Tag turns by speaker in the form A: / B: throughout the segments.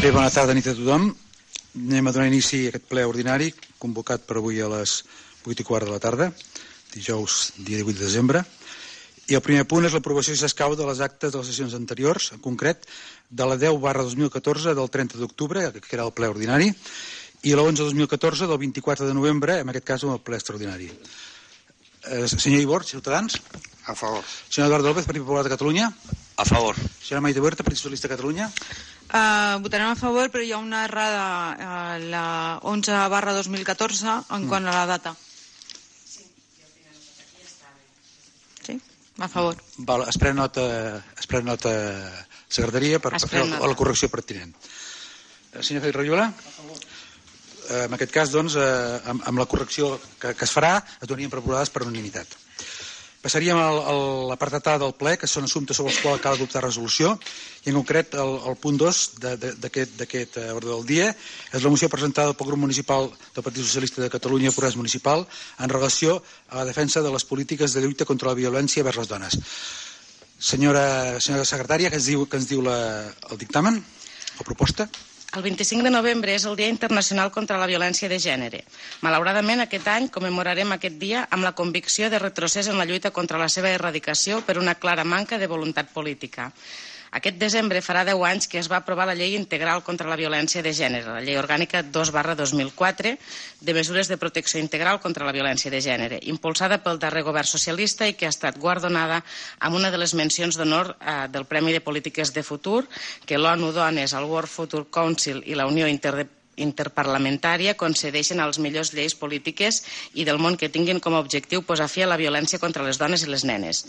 A: Bé, bona tarda, nit a tothom. Anem a donar inici a aquest ple ordinari, convocat per avui a les 8:15 de la tarda, dijous, dia 18 de desembre. I el primer punt és l'aprovació, si s'escau, de les actes de les sessions anteriors, en concret, de la 10/2014 del 30 d'octubre, que era el ple ordinari, i la 11/2014 del 24 de novembre, en aquest cas, el ple extraordinari. Senyor Ibor, Ciutadans.
B: A favor.
A: Senyor Eduardo López, Partit Popular de Catalunya.
B: A favor.
A: Senyora Maite Huerta, Partit Socialista de Catalunya.
C: Votarem a favor, però hi ha una errada, la 11/2014, en quant a la data. Sí, a favor.
A: Val, es pren nota secretaria per fer la correcció pertinent. Senyor Félix Rajola? A favor. En aquest cas, doncs, amb la correcció que es farà, es donarien per aprovades per unanimitat. Passaríem a l'apartat A del ple, que són assumptes sobre els quals cal adoptar resolució, i en concret el punt 2 d'aquest ordre del dia és la moció presentada pel grup municipal del Partit Socialista de Catalunya, Progrés Municipal, en relació a la defensa de les polítiques de lluita contra la violència vers les dones. Senyora secretària, què ens diu el dictamen, la proposta?
D: El 25 de novembre és el Dia Internacional contra la Violència de Gènere. Malauradament, aquest any commemorarem aquest dia amb la convicció de retrocés en la lluita contra la seva erradicació per una clara manca de voluntat política. Aquest desembre farà 10 anys que es va aprovar la Llei Integral contra la Violència de Gènere, la Llei Orgànica 2/2004, de mesures de protecció integral contra la violència de gènere, impulsada pel darrer govern socialista i que ha estat guardonada amb una de les mencions d'honor del Premi de Polítiques de Futur que l'ONU Dones, el World Future Council i la Unió Interparlamentària concedeixen a les millors lleis polítiques i del món que tinguin com a objectiu posar fi a la violència contra les dones i les nenes.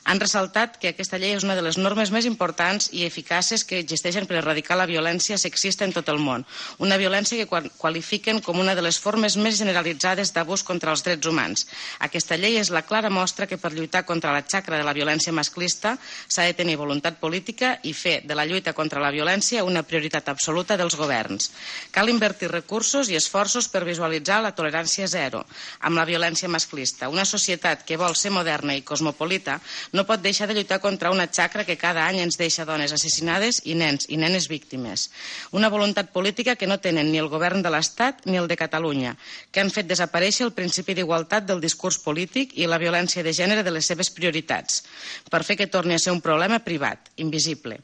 D: Han ressaltat que aquesta llei és una de les normes més importants i eficaces que existeixen per erradicar la violència sexista en tot el món, una violència que qualifiquen com una de les formes més generalitzades d'abús contra els drets humans. Aquesta llei és la clara mostra que per lluitar contra la xacra de la violència masclista s'ha de tenir voluntat política i fer de la lluita contra la violència una prioritat absoluta dels governs. Cal invertir recursos i esforços per visualitzar la tolerància zero amb la violència masclista. Una societat que vol ser moderna i cosmopolita no pot deixar de lluitar contra una xacra que cada any ens deixa dones assassinades i nens i nenes víctimes. Una voluntat política que no tenen ni el govern de l'Estat ni el de Catalunya, que han fet desaparèixer el principi d'igualtat del discurs polític i la violència de gènere de les seves prioritats, per fer que torni a ser un problema privat, invisible.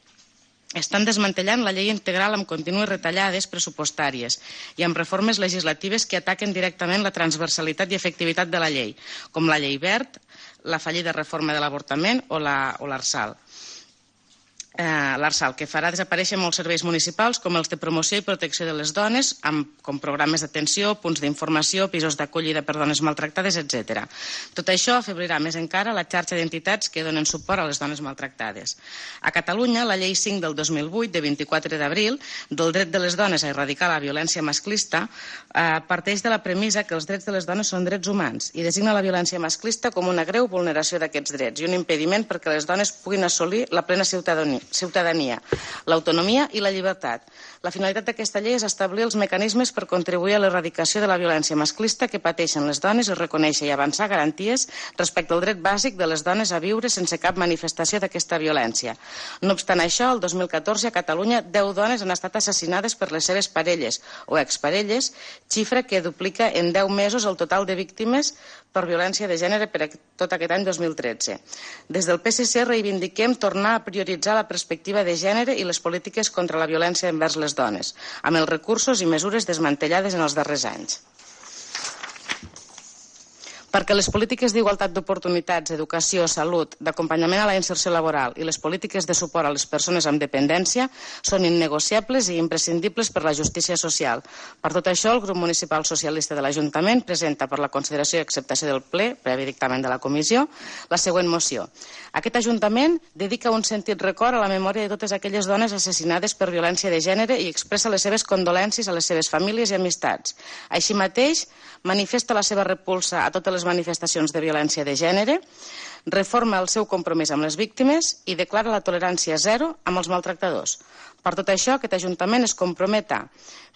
D: Estan desmantellant la llei integral amb contínues retallades pressupostàries i amb reformes legislatives que ataquen directament la transversalitat i efectivitat de la llei, com la llei Wert, la fallida reforma de l'avortament o l'Arsal. L'Arsal, que farà desaparèixer molts serveis municipals com els de promoció i protecció de les dones, com programes d'atenció, punts d'informació, pisos d'acollida per dones maltractades, etc. Tot això afebrirà més encara la xarxa d'entitats que donen suport a les dones maltractades. A Catalunya, la Llei 5 del 2008, de 24 d'abril, del dret de les dones a erradicar la violència masclista, parteix de la premissa que els drets de les dones són drets humans i designa la violència masclista com una greu vulneració d'aquests drets i un impediment perquè les dones puguin assolir la plena ciutadania, l'autonomia i la llibertat. La finalitat d'aquesta llei és establir els mecanismes per contribuir a l'erradicació de la violència masclista que pateixen les dones i reconèixer i avançar garanties respecte al dret bàsic de les dones a viure sense cap manifestació d'aquesta violència. No obstant això, el 2014 a Catalunya 10 dones han estat assassinades per les seves parelles o exparelles, xifra que duplica en 10 mesos el total de víctimes per violència de gènere per tot aquest any 2013. Des del PSC reivindiquem tornar a prioritzar la perspectiva de gènere i les polítiques contra la violència envers les dones, amb els recursos i mesures desmantellades en els darrers anys. Perquè les polítiques d'igualtat d'oportunitats, educació, salut, d'acompanyament a la inserció laboral i les polítiques de suport a les persones amb dependència són innegociables i imprescindibles per la justícia social. Per tot això, el grup municipal socialista de l'Ajuntament presenta per la consideració i acceptació del ple, previ dictamen de la comissió, la següent moció. Aquest Ajuntament dedica un sentit record a la memòria de totes aquelles dones assassinades per violència de gènere i expressa les seves condolències a les seves famílies i amistats. Així mateix, manifesta la seva repulsa a totes les manifestacions de violència de gènere, reforma el seu compromís amb les víctimes i declara la tolerància zero amb els maltractadors. Per tot això, aquest Ajuntament es compromet a,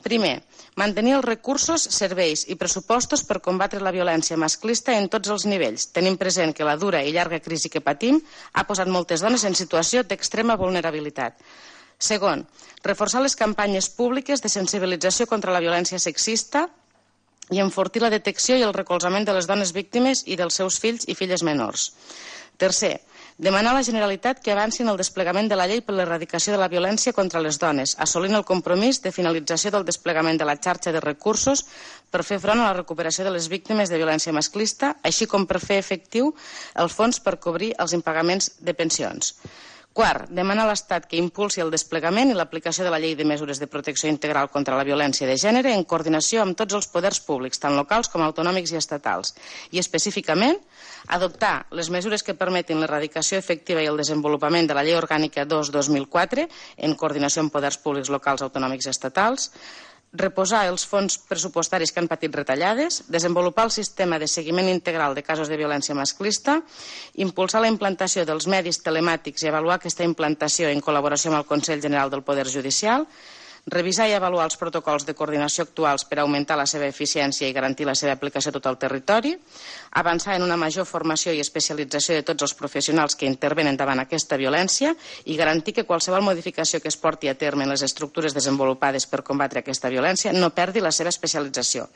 D: primer, mantenir els recursos, serveis i pressupostos per combatre la violència masclista en tots els nivells, tenint present que la dura i llarga crisi que patim ha posat moltes dones en situació d'extrema vulnerabilitat. Segon, reforçar les campanyes públiques de sensibilització contra la violència sexista i enfortir la detecció i el recolzament de les dones víctimes i dels seus fills i filles menors. Tercer, demanar a la Generalitat que avanci en el desplegament de la llei per l'erradicació de la violència contra les dones, assolint el compromís de finalització del desplegament de la xarxa de recursos per fer front a la recuperació de les víctimes de violència masclista, així com per fer efectiu els fons per cobrir els impagaments de pensions. Quart, demanar a l'Estat que impulsi el desplegament i l'aplicació de la Llei de Mesures de Protecció Integral contra la Violència de Gènere en coordinació amb tots els poders públics, tant locals com autonòmics i estatals, i específicament adoptar les mesures que permetin l'erradicació efectiva i el desenvolupament de la Llei Orgànica 2/2004 en coordinació amb poders públics locals, autonòmics i estatals, reposar els fons pressupostaris que han patit retallades, desenvolupar el sistema de seguiment integral de casos de violència masclista, impulsar la implantació dels medis telemàtics i avaluar aquesta implantació en col·laboració amb el Consell General del Poder Judicial, revisar i avaluar els protocols de coordinació actuals per augmentar la seva eficiència i garantir la seva aplicació a tot el territori, avançar en una major formació i especialització de tots els professionals que intervenen davant aquesta violència i garantir que qualsevol modificació que es porti a terme en les estructures desenvolupades per combatre aquesta violència no perdi la seva especialització.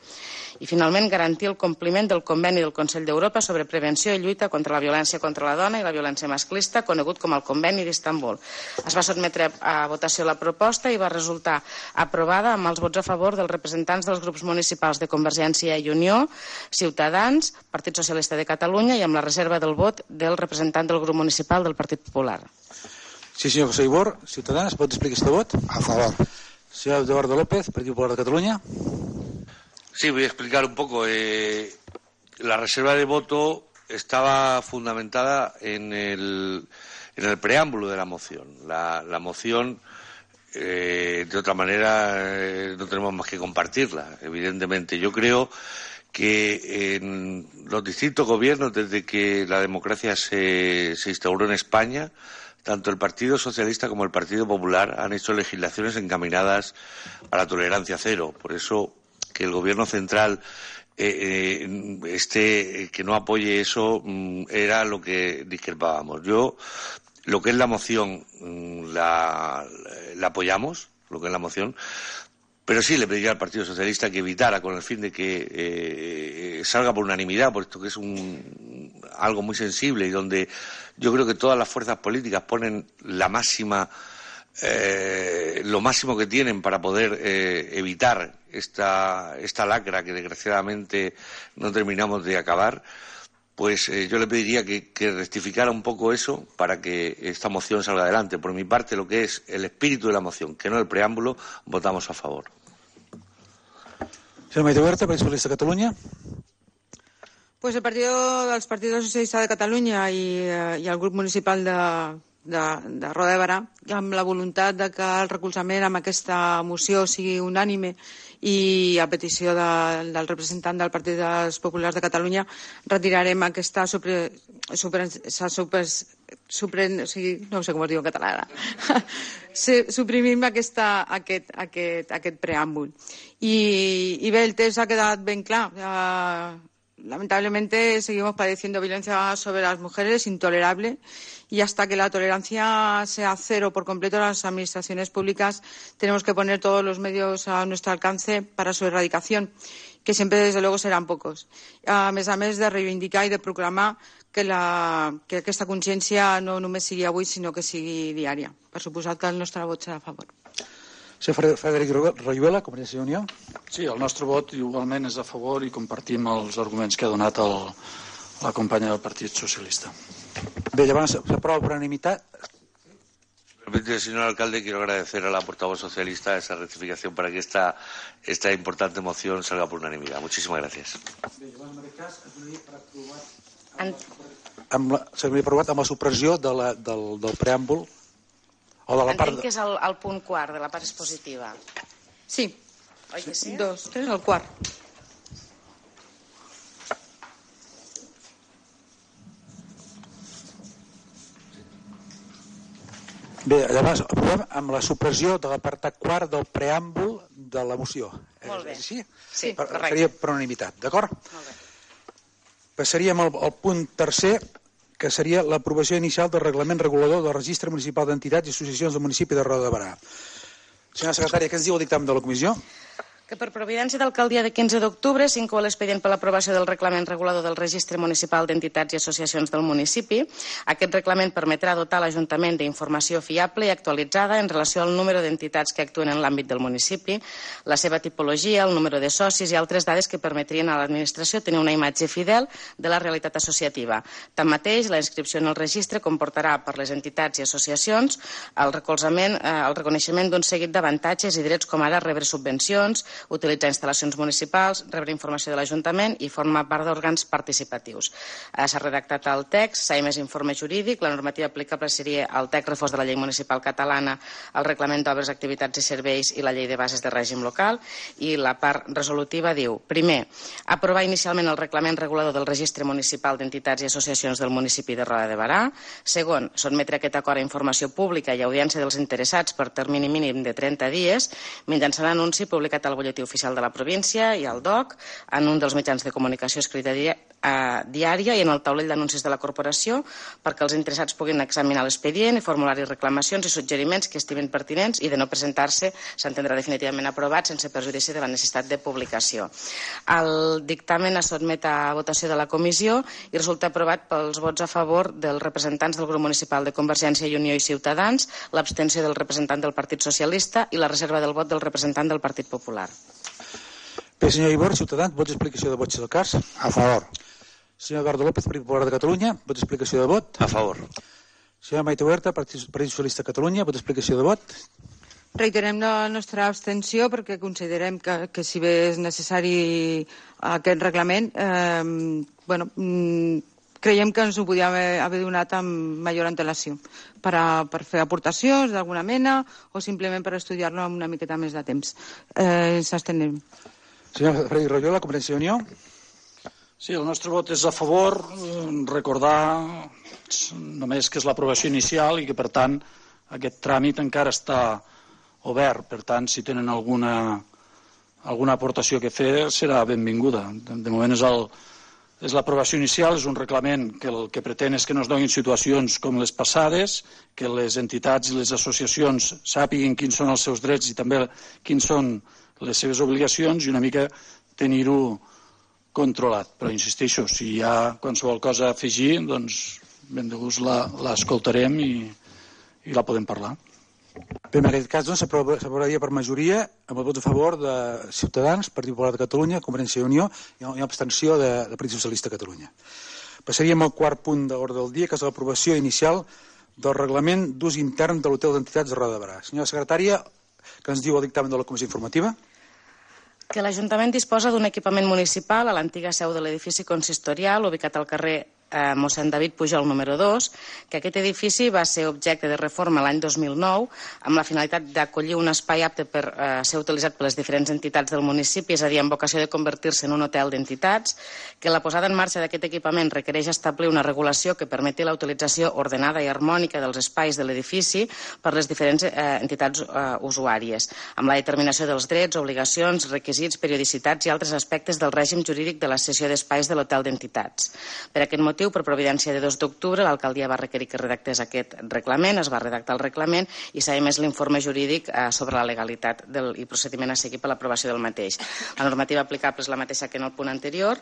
D: I, finalment, garantir el compliment del Conveni del Consell d'Europa sobre prevenció i lluita contra la violència contra la dona i la violència masclista, conegut com el Conveni d'Istanbul. Es va sotmetre a votació la proposta i va resultar aprovada amb els vots a favor dels representants dels grups municipals de Convergència i Unió, Ciutadans, Partit Socialista de Catalunya i amb la reserva del vot del representant del grup municipal del Partit Popular.
A: Sí, senyor José Ibor, Ciutadans, ¿pot explicar este vot?
B: A favor.
A: Señor Eduardo López, Partido Popular de Cataluña.
E: Sí, voy a explicar un poco. La reserva de voto estaba fundamentada en el preámbulo de la moción. La moción, de otra manera, no tenemos más que compartirla, evidentemente. Yo creo que en los distintos gobiernos, desde que la democracia se instauró en España, tanto el Partido Socialista como el Partido Popular han hecho legislaciones encaminadas a la tolerancia cero. Por eso, que el Gobierno central que no apoye eso era lo que discrepábamos. Lo que es la moción la apoyamos, lo que es la moción, pero sí le pediría al Partido Socialista que evitara, con el fin de que salga por unanimidad, puesto que es algo muy sensible y donde yo creo que todas las fuerzas políticas ponen lo máximo que tienen para poder evitar esta lacra que desgraciadamente no terminamos de acabar. Pues yo le pediría que rectificara un poco eso para que esta moción salga adelante. Por mi parte, lo que es el espíritu de la moción, que no el preámbulo, votamos a favor.
A: Señor Maite Huerta, Partido Socialista de Cataluña.
C: Pues el Partido Socialista de Catalunya i el grup municipal de Roda de Berà, amb la voluntat de que el recolzament amb aquesta moció sigui unànime i a petició del representant del Partit dels Populars de Catalunya retirarem aquesta no sé com es diu en català ara. Suprimim aquest preàmbul. I bé, el text ha quedat ben clar. Lamentablemente seguimos padeciendo violencia sobre las mujeres, intolerable, y hasta que la tolerancia sea cero por completo, las administraciones públicas tenemos que poner todos los medios a nuestro alcance para su erradicación, que siempre, desde luego, serán pocos. A més de reivindicar i de proclamar que aquesta consciència no només sigui avui, sinó que sigui diària. Per suposat que el nostre vot serà a favor.
A: Senyor Frederic Royuela, Convergència i Unió.
F: Sí, el nostre vot igualment és a favor i compartim els arguments que ha donat la companya del Partit Socialista.
A: Bé, llavors s'aprova per unanimitat.
E: Señor alcalde, quiero agradecer a la portavoz socialista esa rectificación para que esta importante moción salga por unanimidad. Muchísimas gracias.
A: S'hauria aprovat amb la supressió del preàmbul o de la part...
D: Entenc que és el punt quart de la part expositiva.
C: Sí.
D: Oi que sí?
C: 2, 3, el quart.
A: Bé, llavors aprovem amb la supressió de l'apartat quart del preàmbul de la moció.
D: Molt bé.
A: Sí?
D: Sí, correcte.
A: Seria per unanimitat, d'acord?
D: Molt bé.
A: Passaríem al punt tercer, que seria l'aprovació inicial del reglament regulador del Registre Municipal d'Entitats i Associacions del municipi de Roda de Berà. Senyora secretària, què ens diu el dictamen de la comissió?
D: Que per providència d'alcaldia de 15 d'octubre s'inclou l'expedient per l'aprovació del reglament regulador del Registre Municipal d'Entitats i Associacions del municipi. Aquest reglament permetrà dotar l'Ajuntament d'informació fiable i actualitzada en relació al número d'entitats que actuen en l'àmbit del municipi, la seva tipologia, el número de socis i altres dades que permetrien a l'administració tenir una imatge fidel de la realitat associativa. Tanmateix, la inscripció en el registre comportarà per les entitats i associacions el reconeixement d'un seguit d'avantatges i drets com ara rebre subvencions, utilitzar instal·lacions municipals, rebre informació de l'Ajuntament i formar part d'òrgans participatius. S'ha redactat el text, s'ha emès informe jurídic, la normativa aplicable seria el text refós de la llei municipal catalana, el reglament d'obres, activitats i serveis i la llei de bases de règim local, i la part resolutiva diu, primer, aprovar inicialment el reglament regulador del Registre Municipal d'Entitats i Associacions del municipi de Roda de Berà, segon, sotmetre aquest acord a informació pública i audiència dels interessats per termini mínim de 30 dies, mitjançant anunci publicat al butlletí oficial de la província i al DOC, en un dels mitjans de comunicació escrita diària i en el taulell d'anuncis de la corporació, perquè els interessats puguin examinar l'expedient i formular-hi reclamacions i suggeriments que estimin pertinents i de no presentar-se s'entendrà definitivament aprovat sense perjudici de la necessitat de publicació. El dictamen es sotmet a votació de la comissió i resulta aprovat pels vots a favor dels representants del grup municipal de Convergència i Unió i Ciutadans, l'abstenció del representant del Partit Socialista i la reserva del vot del representant del Partit Popular.
A: Bé, senyor Ibor, Ciutadans, vots d'explicació de vot, si del cas.
B: A favor.
A: Senyor Eduardo López, Partit Popular de Catalunya, vots d'explicació de vot.
E: A favor.
A: Senyora Maite Huerta, Partit Socialista de Catalunya, vots d'explicació de vot.
C: Reiterem la nostra abstenció perquè considerem que si bé és necessari aquest reglament, creiem que ens ho podíem haver donat amb major antelació per fer aportacions d'alguna mena o simplement per estudiar-lo amb una miqueta més de temps. S'abstenem.
A: Senyor Freddy Royola, Convergència i Unió.
F: Sí, el nostre vot és a favor. Recordar només que és l'aprovació inicial i que, per tant, aquest tràmit encara està obert. Per tant, si tenen alguna aportació que fer, serà benvinguda. De moment és l'aprovació inicial, és un reglament que el que pretén és que no es donin situacions com les passades, que les entitats i les associacions sàpiguin quins són els seus drets i també quins són les seves obligacions i una mica tenir-ho controlat. Però insisteixo, si hi ha qualsevol cosa a afegir, doncs ben de gust l'escoltarem i la podem parlar.
A: Bé, en aquest cas doncs, s'aprovaria per majoria amb el vot a favor de Ciutadans, Partit Popular de Catalunya, Convergència i Unió i una abstenció del Partit Socialista de Catalunya. Passaríem al quart punt d'ordre del dia, que és l'aprovació inicial del reglament d'ús intern de l'Hotel d'Entitats de Roda de Berà. Senyora secretària, què ens diu el dictamen de la Comissió Informativa?
D: Que l'Ajuntament disposa d'un equipament municipal a l'antiga seu de l'edifici consistorial ubicat al carrer mossèn David Pujol número 2, que aquest edifici va ser objecte de reforma l'any 2009 amb la finalitat d'acollir un espai apte per ser utilitzat per les diferents entitats del municipi, és a dir, amb vocació de convertir-se en un hotel d'entitats, que la posada en marxa d'aquest equipament requereix establir una regulació que permeti la utilització ordenada i harmònica dels espais de l'edifici per les diferents entitats usuàries, amb la determinació dels drets, obligacions, requisits, periodicitats i altres aspectes del règim jurídic de la cessió d'espais de l'hotel d'entitats. Per aquest motiu, per providència de 2 d'octubre, l'alcaldia va requerir que redactés aquest reglament, es va redactar el reglament i s'ha emès l'informe jurídic sobre la legalitat i procediment a seguir per l'aprovació del mateix. La normativa aplicable és la mateixa que en el punt anterior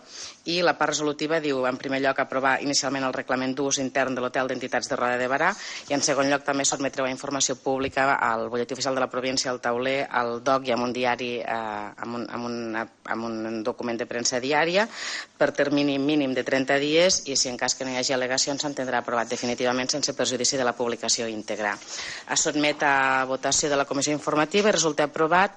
D: i la part resolutiva diu, en primer lloc, aprovar inicialment el reglament d'ús intern de l'Hotel d'Entitats de Roda de Berà i, en segon lloc, també sotmetreu a informació pública al butlletí oficial de la província, al tauler, al DOC i amb un diari, amb un document de premsa diària per termini mínim de 30 dies i, si en cas que no hi hagi al·legacions, s'entendrà aprovat definitivament sense perjudici de la publicació íntegra. Es sotmet a votació de la Comissió Informativa i resulta aprovat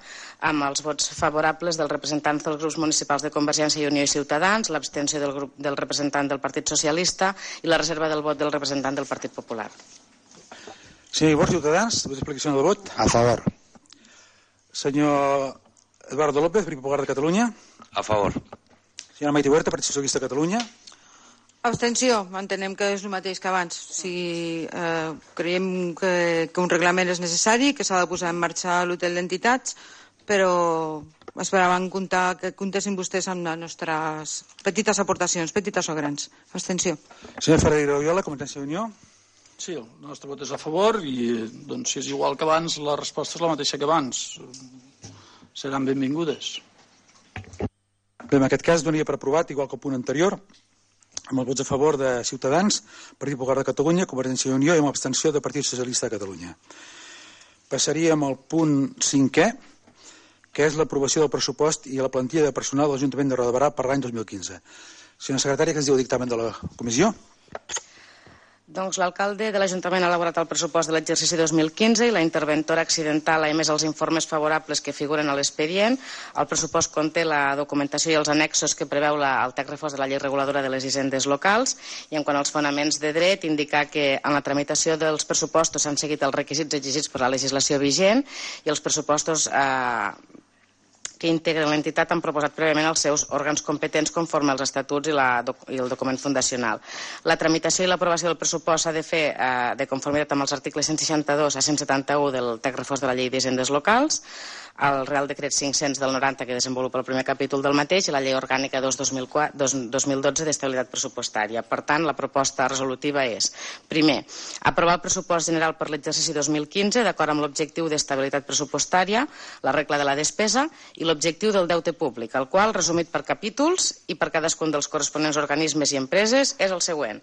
D: amb els vots favorables dels representants dels grups municipals de Convergència i Unió i Ciutadans, l'abstenció del representant del Partit Socialista i la reserva del vot del representant del Partit Popular.
A: Senyor Ibor, Ciutadans, explicació del vot.
B: A favor.
A: Senyor Eduardo López, Partit Popular de Catalunya.
E: A favor.
A: Senyora Maite Huerta, Partit Socialista de Catalunya.
C: Abstenció. Entenem que és el mateix que abans. Creiem que un reglament és necessari, que s'ha de posar en marxa l'hotel d'entitats, però Esperaven que comptessin vostès amb les nostres petites aportacions, petites o grans. Abstenció.
A: Senyor Ferreira Oriola, Convergència i Unió.
F: Sí, el nostre vot és a favor i doncs, si és igual que abans, la resposta és la mateixa que abans. Seran benvingudes.
A: Bé, en aquest cas donaria per aprovat, igual que el punt anterior, amb els vots a favor de Ciutadans, Partit Popular de Catalunya, Convergència i Unió i amb abstenció del Partit Socialista de Catalunya. Passaríem al punt 5è, que és l'aprovació del pressupost i la plantilla de personal de l'Ajuntament de Roda de Berà per l'any 2015. Senyora secretària, què ens diu el dictamen de la comissió?
D: Doncs l'alcalde de l'Ajuntament ha elaborat el pressupost de l'exercici 2015 i la interventora accidental ha emès els informes favorables que figuren a l'expedient. El pressupost conté la documentació i els annexos que preveu el text refós de la llei reguladora de les hisendes locals i en quant als fonaments de dret, indicar que en la tramitació dels pressupostos s'han seguit els requisits exigits per la legislació vigent i els pressupostos que integren l'entitat han proposat prèviament els seus òrgans competents conforme als estatuts i el document fundacional. La tramitació i l'aprovació del pressupost s'ha de fer de conformitat amb els articles 162 a 171 del text refós de la llei d'hisendes locals, el Real Decret 500 del 90 que desenvolupa el primer capítol del mateix i la Llei Orgànica 2/2012 d'estabilitat pressupostària. Per tant, la proposta resolutiva és, primer, aprovar el pressupost general per l'exercici 2015 d'acord amb l'objectiu d'estabilitat pressupostària, la regla de la despesa i l'objectiu del deute públic, el qual, resumit per capítols i per cadascun dels corresponents organismes i empreses, és el següent.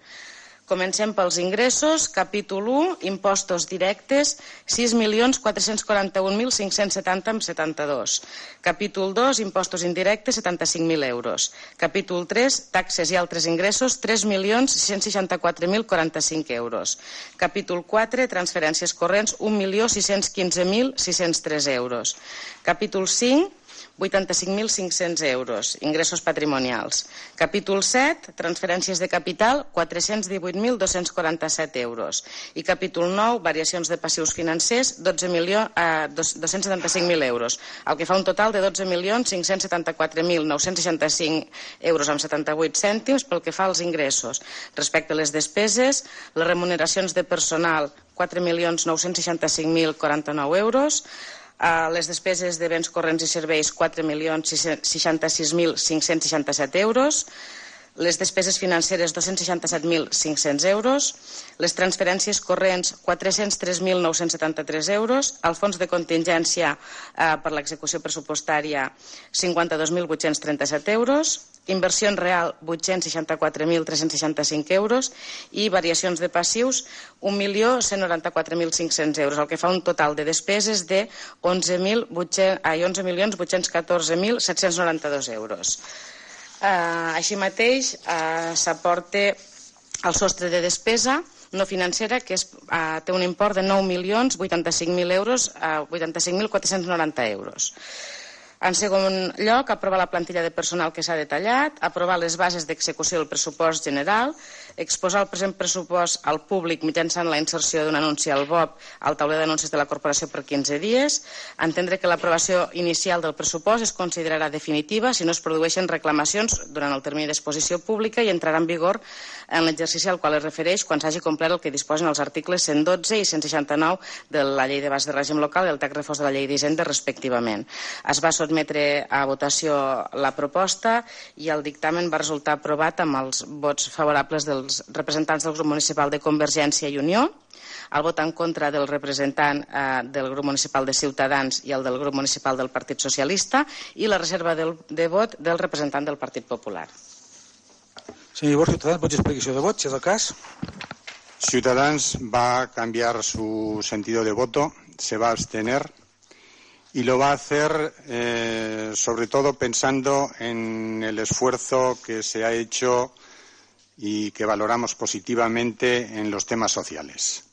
D: Comencem pels ingressos. Capítol 1, impostos directes, 6.441.570,72. Capítol 2, impostos indirectes, 75.000 euros. Capítol 3, taxes i altres ingressos, 3.664.045 euros. Capítol 4, transferències corrents, 1.615.603 euros. Capítol 5, 85.500 euros, ingressos patrimonials. Capítol 7, transferències de capital, 418.247 euros. I capítol 9, variacions de passius financers, 275.000 euros, el que fa un total de 12.574.965 euros amb 78 cèntims pel que fa als ingressos. Respecte a les despeses, les remuneracions de personal, 4.965.049 euros, les despeses de béns corrents i serveis 4.066.567 euros, les despeses financeres 267.500 euros, les transferències corrents 403.973 euros, el fons de contingència per l'execució pressupostària 52.837 euros, inversió en real 864.365 euros i variacions de passius 1.194.500 euros, el que fa un total de despeses de 11.814.792 euros. Així mateix s'aporta el sostre de despesa no financera que té un import de 9.085.000 euros a 85.490 euros. En segon lloc, aprovar la plantilla de personal que s'ha detallat, aprovar les bases d'execució del pressupost general, exposar el present pressupost al públic mitjançant la inserció d'un anunci al BOP al tauler d'anuncis de la corporació per 15 dies, entendre que l'aprovació inicial del pressupost es considerarà definitiva si no es produeixen reclamacions durant el termini d'exposició pública i entrarà en vigor en l'exercici al qual es refereix quan s'hagi complert el que disposen els articles 112 i 169 de la Llei de Bases de Règim Local i el text refós de la Llei d'Hisenda respectivament. Es va sotmetre a votació la proposta i el dictamen va resultar aprovat amb els vots favorables dels representants del grup municipal de Convergència i Unió, el vot en contra del representant del grup municipal de Ciutadans i el del grup municipal del Partit Socialista i la reserva de vot del representant del Partit Popular.
A: Senyor Iborra, Ciutadans, vots d'explicació de vot, si és el cas.
B: Ciudadanos va a cambiar su sentido de voto, se va a abstener y lo va a hacer sobre todo pensando en el esfuerzo que se ha hecho y que valoramos positivamente en los temas sociales.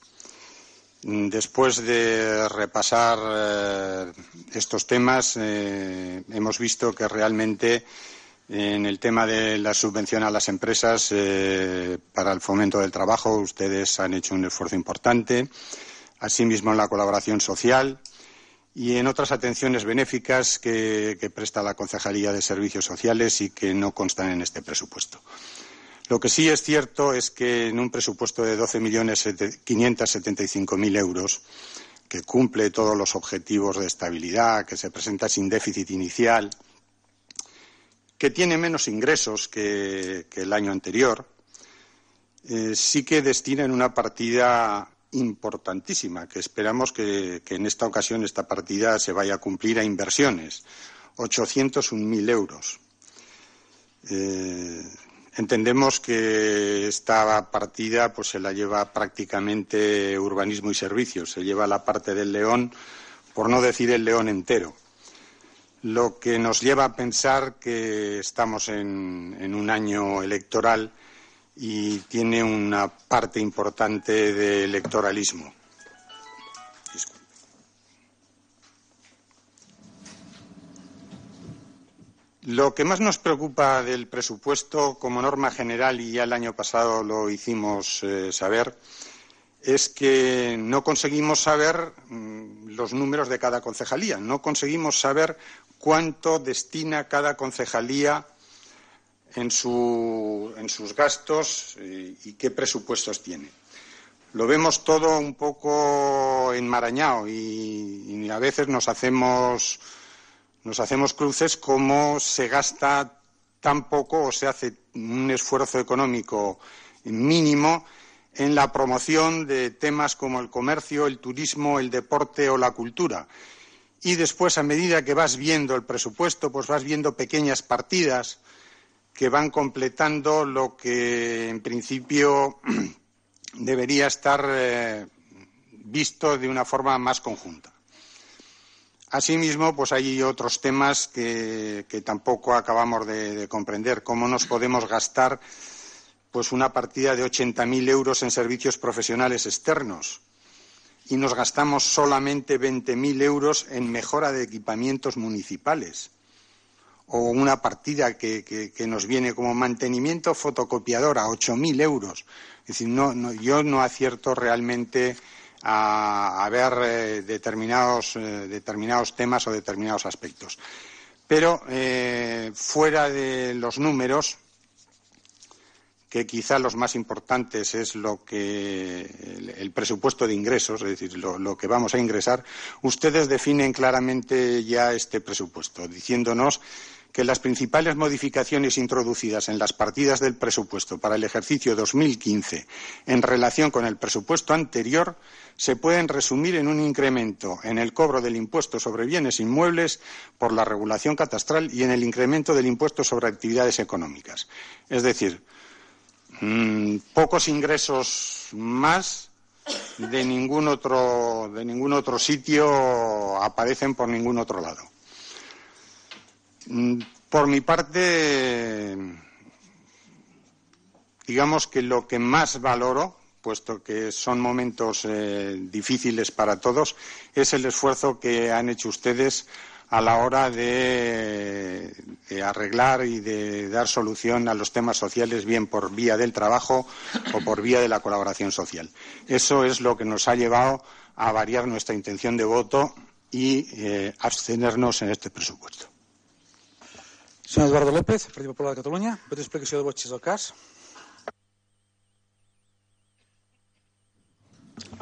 B: Después de repasar estos temas, hemos visto que realmente en el tema de la subvención a las empresas para el fomento del trabajo, ustedes han hecho un esfuerzo importante, asimismo en la colaboración social y en otras atenciones benéficas que presta la Concejalía de Servicios Sociales y que no constan en este presupuesto. Lo que sí es cierto es que en un presupuesto de 12.575.000 euros, que cumple todos los objetivos de estabilidad, que se presenta sin déficit inicial, que tiene menos ingresos que el año anterior, sí que destinan una partida importantísima, que esperamos que en esta ocasión esta partida se vaya a cumplir a inversiones, 801.000 euros. Entendemos que esta partida pues se la lleva prácticamente urbanismo y servicios, se lleva la parte del León, por no decir el León entero. Lo que nos lleva a pensar que estamos en un año electoral y tiene una parte importante de electoralismo. Disculpe. Lo que más nos preocupa del presupuesto, como norma general, y ya el año pasado lo hicimos saber, es que no conseguimos saber los números de cada concejalía, no conseguimos saber cuánto destina cada concejalía en sus gastos y qué presupuestos tiene. Lo vemos todo un poco enmarañado y a veces nos hacemos cruces como se gasta tan poco o se hace un esfuerzo económico mínimo en la promoción de temas como el comercio, el turismo, el deporte o la cultura. Y después, a medida que vas viendo el presupuesto, pues vas viendo pequeñas partidas que van completando lo que en principio debería estar visto de una forma más conjunta. Asimismo, pues hay otros temas que tampoco acabamos de comprender. ¿Cómo nos podemos gastar pues una partida de 80.000 euros en servicios profesionales externos y nos gastamos solamente 20.000 euros en mejora de equipamientos municipales? O una partida que nos viene como mantenimiento fotocopiadora, 8.000 euros. Es decir, yo no acierto realmente a ver determinados temas o determinados aspectos. Pero fuera de los números, que quizá los más importantes es el presupuesto de ingresos, es decir, lo que vamos a ingresar, ustedes definen claramente ya este presupuesto, diciéndonos que las principales modificaciones introducidas en las partidas del presupuesto para el ejercicio 2015 en relación con el presupuesto anterior se pueden resumir en un incremento en el cobro del impuesto sobre bienes inmuebles por la regulación catastral y en el incremento del impuesto sobre actividades económicas. Es decir, pocos ingresos más de ningún otro sitio aparecen por ningún otro lado. Por mi parte, digamos que lo que más valoro, puesto que son momentos difíciles para todos, es el esfuerzo que han hecho ustedes a la hora de arreglar y de dar solución a los temas sociales, bien por vía del trabajo o por vía de la colaboración social. Eso es lo que nos ha llevado a variar nuestra intención de voto y abstenernos en este presupuesto.
A: Senyor Eduardo López, Partit Popular de Catalunya. Pot explicació de vots si és el cas.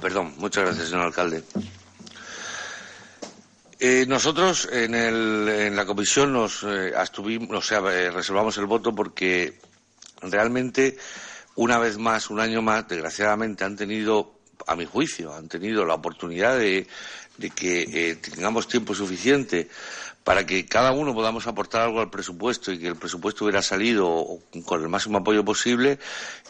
E: Perdón, muchas gracias, señor alcalde. Nosotros en la comisión reservamos el voto porque realmente una vez más, un año más, desgraciadamente han tenido, a mi juicio, la oportunidad de que tengamos tiempo suficiente para que cada uno podamos aportar algo al presupuesto y que el presupuesto hubiera salido con el máximo apoyo posible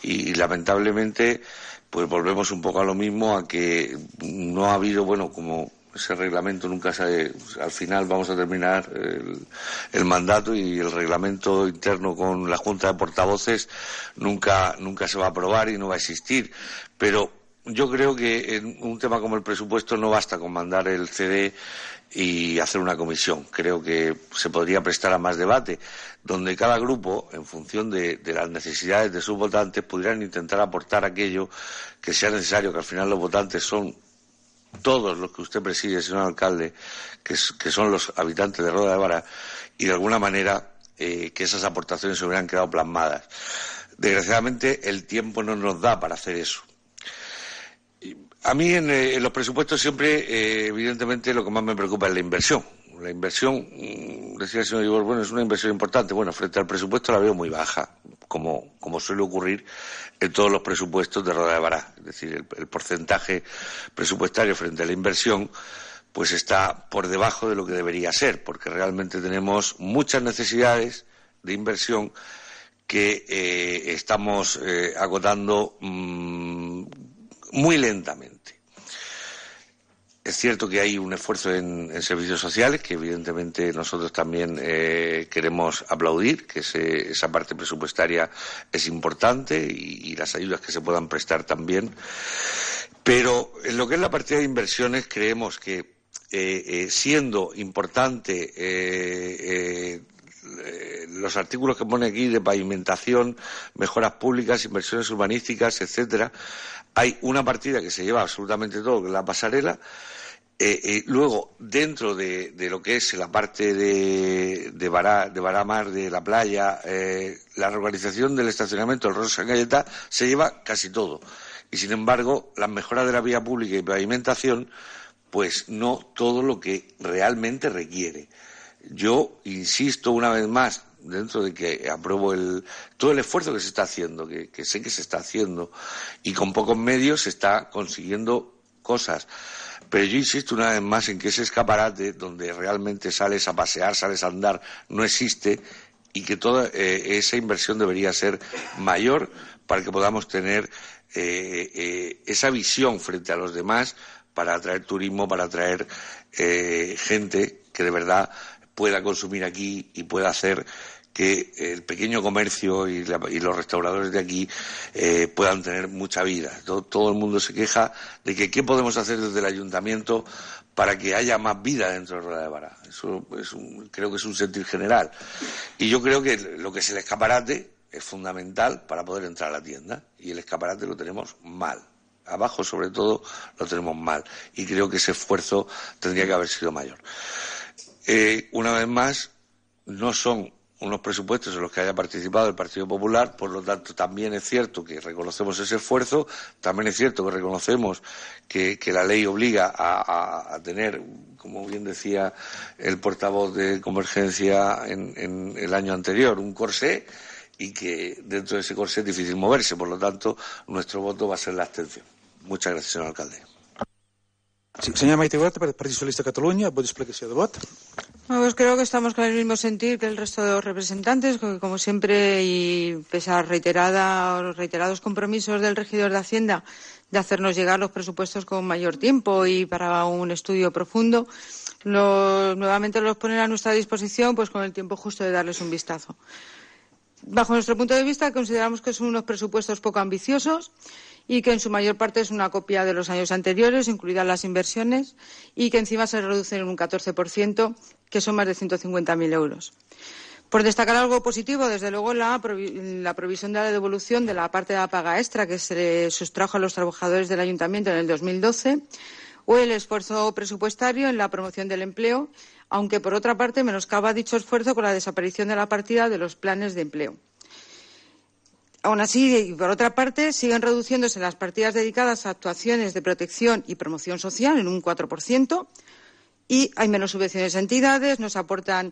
E: y lamentablemente pues volvemos un poco a lo mismo, a que no ha habido, como ese reglamento nunca sale, al final vamos a terminar el mandato y el reglamento interno con la Junta de Portavoces nunca se va a aprobar y no va a existir. Pero yo creo que en un tema como el presupuesto no basta con mandar el CD y hacer una comisión. Creo que se podría prestar a más debate, donde cada grupo, en función de las necesidades de sus votantes, pudieran intentar aportar aquello que sea necesario, que al final los votantes son todos los que usted preside, señor alcalde, que son los habitantes de Roda de Vara, y de alguna manera que esas aportaciones se hubieran quedado plasmadas. Desgraciadamente, el tiempo no nos da para hacer eso. A mí en los presupuestos siempre, evidentemente, lo que más me preocupa es la inversión. La inversión, decía el señor Ibor, bueno, es una inversión importante. Bueno, frente al presupuesto la veo muy baja, como suele ocurrir en todos los presupuestos de Roda de Bará. Es decir, el porcentaje presupuestario frente a la inversión pues está por debajo de lo que debería ser, porque realmente tenemos muchas necesidades de inversión que estamos agotando muy lentamente. Es cierto que hay un esfuerzo en servicios sociales que evidentemente nosotros también queremos aplaudir, que esa parte presupuestaria es importante y las ayudas que se puedan prestar también. Pero en lo que es la partida de inversiones creemos que siendo importante los artículos que pone aquí de pavimentación, mejoras públicas, inversiones urbanísticas, etcétera, hay una partida que se lleva absolutamente todo, que es la pasarela. Luego, dentro de lo que es la parte de Bará-Mar, de la playa, la reorganización del estacionamiento del Rosa San Galleta se lleva casi todo. Y, sin embargo, las mejoras de la vía pública y pavimentación, pues no todo lo que realmente requiere. Yo insisto una vez más, dentro de que apruebo todo el esfuerzo que se está haciendo, que sé que se está haciendo, y con pocos medios se está consiguiendo cosas. Pero yo insisto una vez más en que ese escaparate donde realmente sales a pasear, sales a andar, no existe, y que toda esa inversión debería ser mayor para que podamos tener esa visión frente a los demás para atraer turismo, para atraer gente que de verdad pueda consumir aquí y pueda hacer que el pequeño comercio y los restauradores de aquí puedan tener mucha vida. Todo el mundo se queja de que qué podemos hacer desde el ayuntamiento para que haya más vida dentro de Roda de Bará. Eso creo que es un sentir general. Y yo creo que lo que es el escaparate es fundamental para poder entrar a la tienda. Y el escaparate lo tenemos mal. Abajo, sobre todo, lo tenemos mal. Y creo que ese esfuerzo tendría que haber sido mayor. Una vez más, no son unos presupuestos en los que haya participado el Partido Popular, por lo tanto también es cierto que reconocemos ese esfuerzo, también es cierto que reconocemos que la ley obliga a tener, como bien decía el portavoz de Convergencia en el año anterior, un corsé, y que dentro de ese corsé es difícil moverse, por lo tanto nuestro voto va a ser la abstención. Muchas gracias, señor alcalde.
A: Sí, señora Maite Huerta, Partido Socialista de Cataluña, voto explicación de voto.
C: Pues creo que estamos con el mismo sentir que el resto de los representantes, que como siempre, y pese a reiterados compromisos del regidor de Hacienda de hacernos llegar los presupuestos con mayor tiempo y para un estudio profundo, nuevamente los ponen a nuestra disposición pues con el tiempo justo de darles un vistazo. Bajo nuestro punto de vista, consideramos que son unos presupuestos poco ambiciosos y que en su mayor parte es una copia de los años anteriores, incluidas las inversiones, y que encima se reducen en un 14%, que son más de 150.000 euros. Por destacar algo positivo, desde luego, la provisión de la devolución de la parte de la paga extra que se le sustrajo a los trabajadores del Ayuntamiento en el 2012, o el esfuerzo presupuestario en la promoción del empleo, aunque, por otra parte, menoscaba dicho esfuerzo con la desaparición de la partida de los planes de empleo. Aún así, y por otra parte, siguen reduciéndose las partidas dedicadas a actuaciones de protección y promoción social en un 4%, y hay menos subvenciones a entidades, no se abordan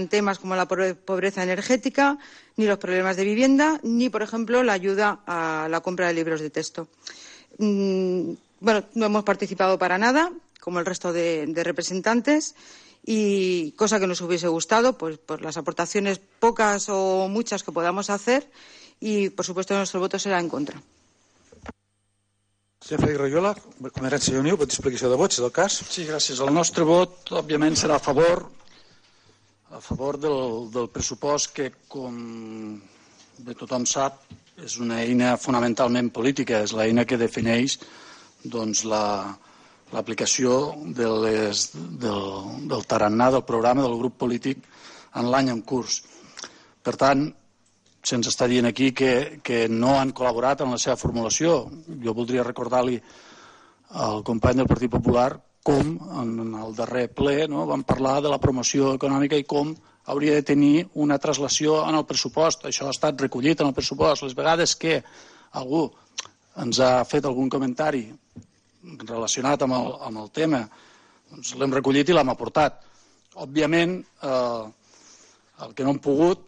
C: temas como la pobreza energética, ni los problemas de vivienda, ni, por ejemplo, la ayuda a la compra de libros de texto. No hemos participado para nada, como el resto de representantes, y cosa que nos hubiese gustado, pues por las aportaciones pocas o muchas que podamos hacer, y por supuesto nuestro voto será en contra.
A: Senyor Frederic Royola, Convergència i Unió, vot d'explicació de vots, si és el cas.
F: Sí, gràcies. El nostre vot, òbviament, serà a favor del pressupost que, com bé tothom sap, és una eina fonamentalment política, és l'eina que defineix doncs, l'aplicació del tarannà del programa del grup polític en l'any en curs. Per tant, se'ns està dient aquí que no han col·laborat en la seva formulació. Jo voldria recordar-li al company del Partit Popular com en el darrer ple vam parlar de la promoció econòmica i com hauria de tenir una traslació en el pressupost. Això ha estat recollit en el pressupost. Les vegades que algú ens ha fet algun comentari relacionat amb el tema, doncs l'hem recollit i l'hem aportat. Òbviament, el que no hem pogut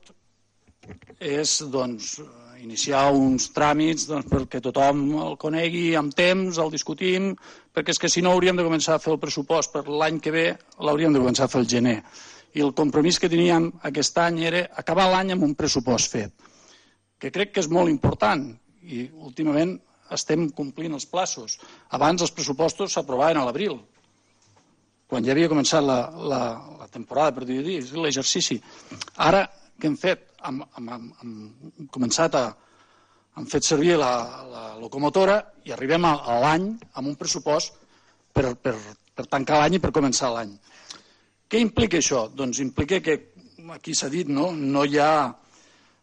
F: és iniciar uns tràmits perquè tothom el conegui amb temps, el discutim, perquè és que si no hauríem de començar a fer el pressupost per l'any que ve, l'hauríem de començar a fer el gener. I el compromís que teníem aquest any era acabar l'any amb un pressupost fet, que crec que és molt important i últimament estem complint els plaços. Abans els pressupostos s'aprovaven a l'abril, quan ja havia començat la temporada, per dir-ho, l'exercici. Ara, què hem fet? Hem fet servir la locomotora i arribem a l'any amb un pressupost per tancar l'any i per començar l'any. Què implica això? Doncs implica que, aquí s'ha dit, no hi ha...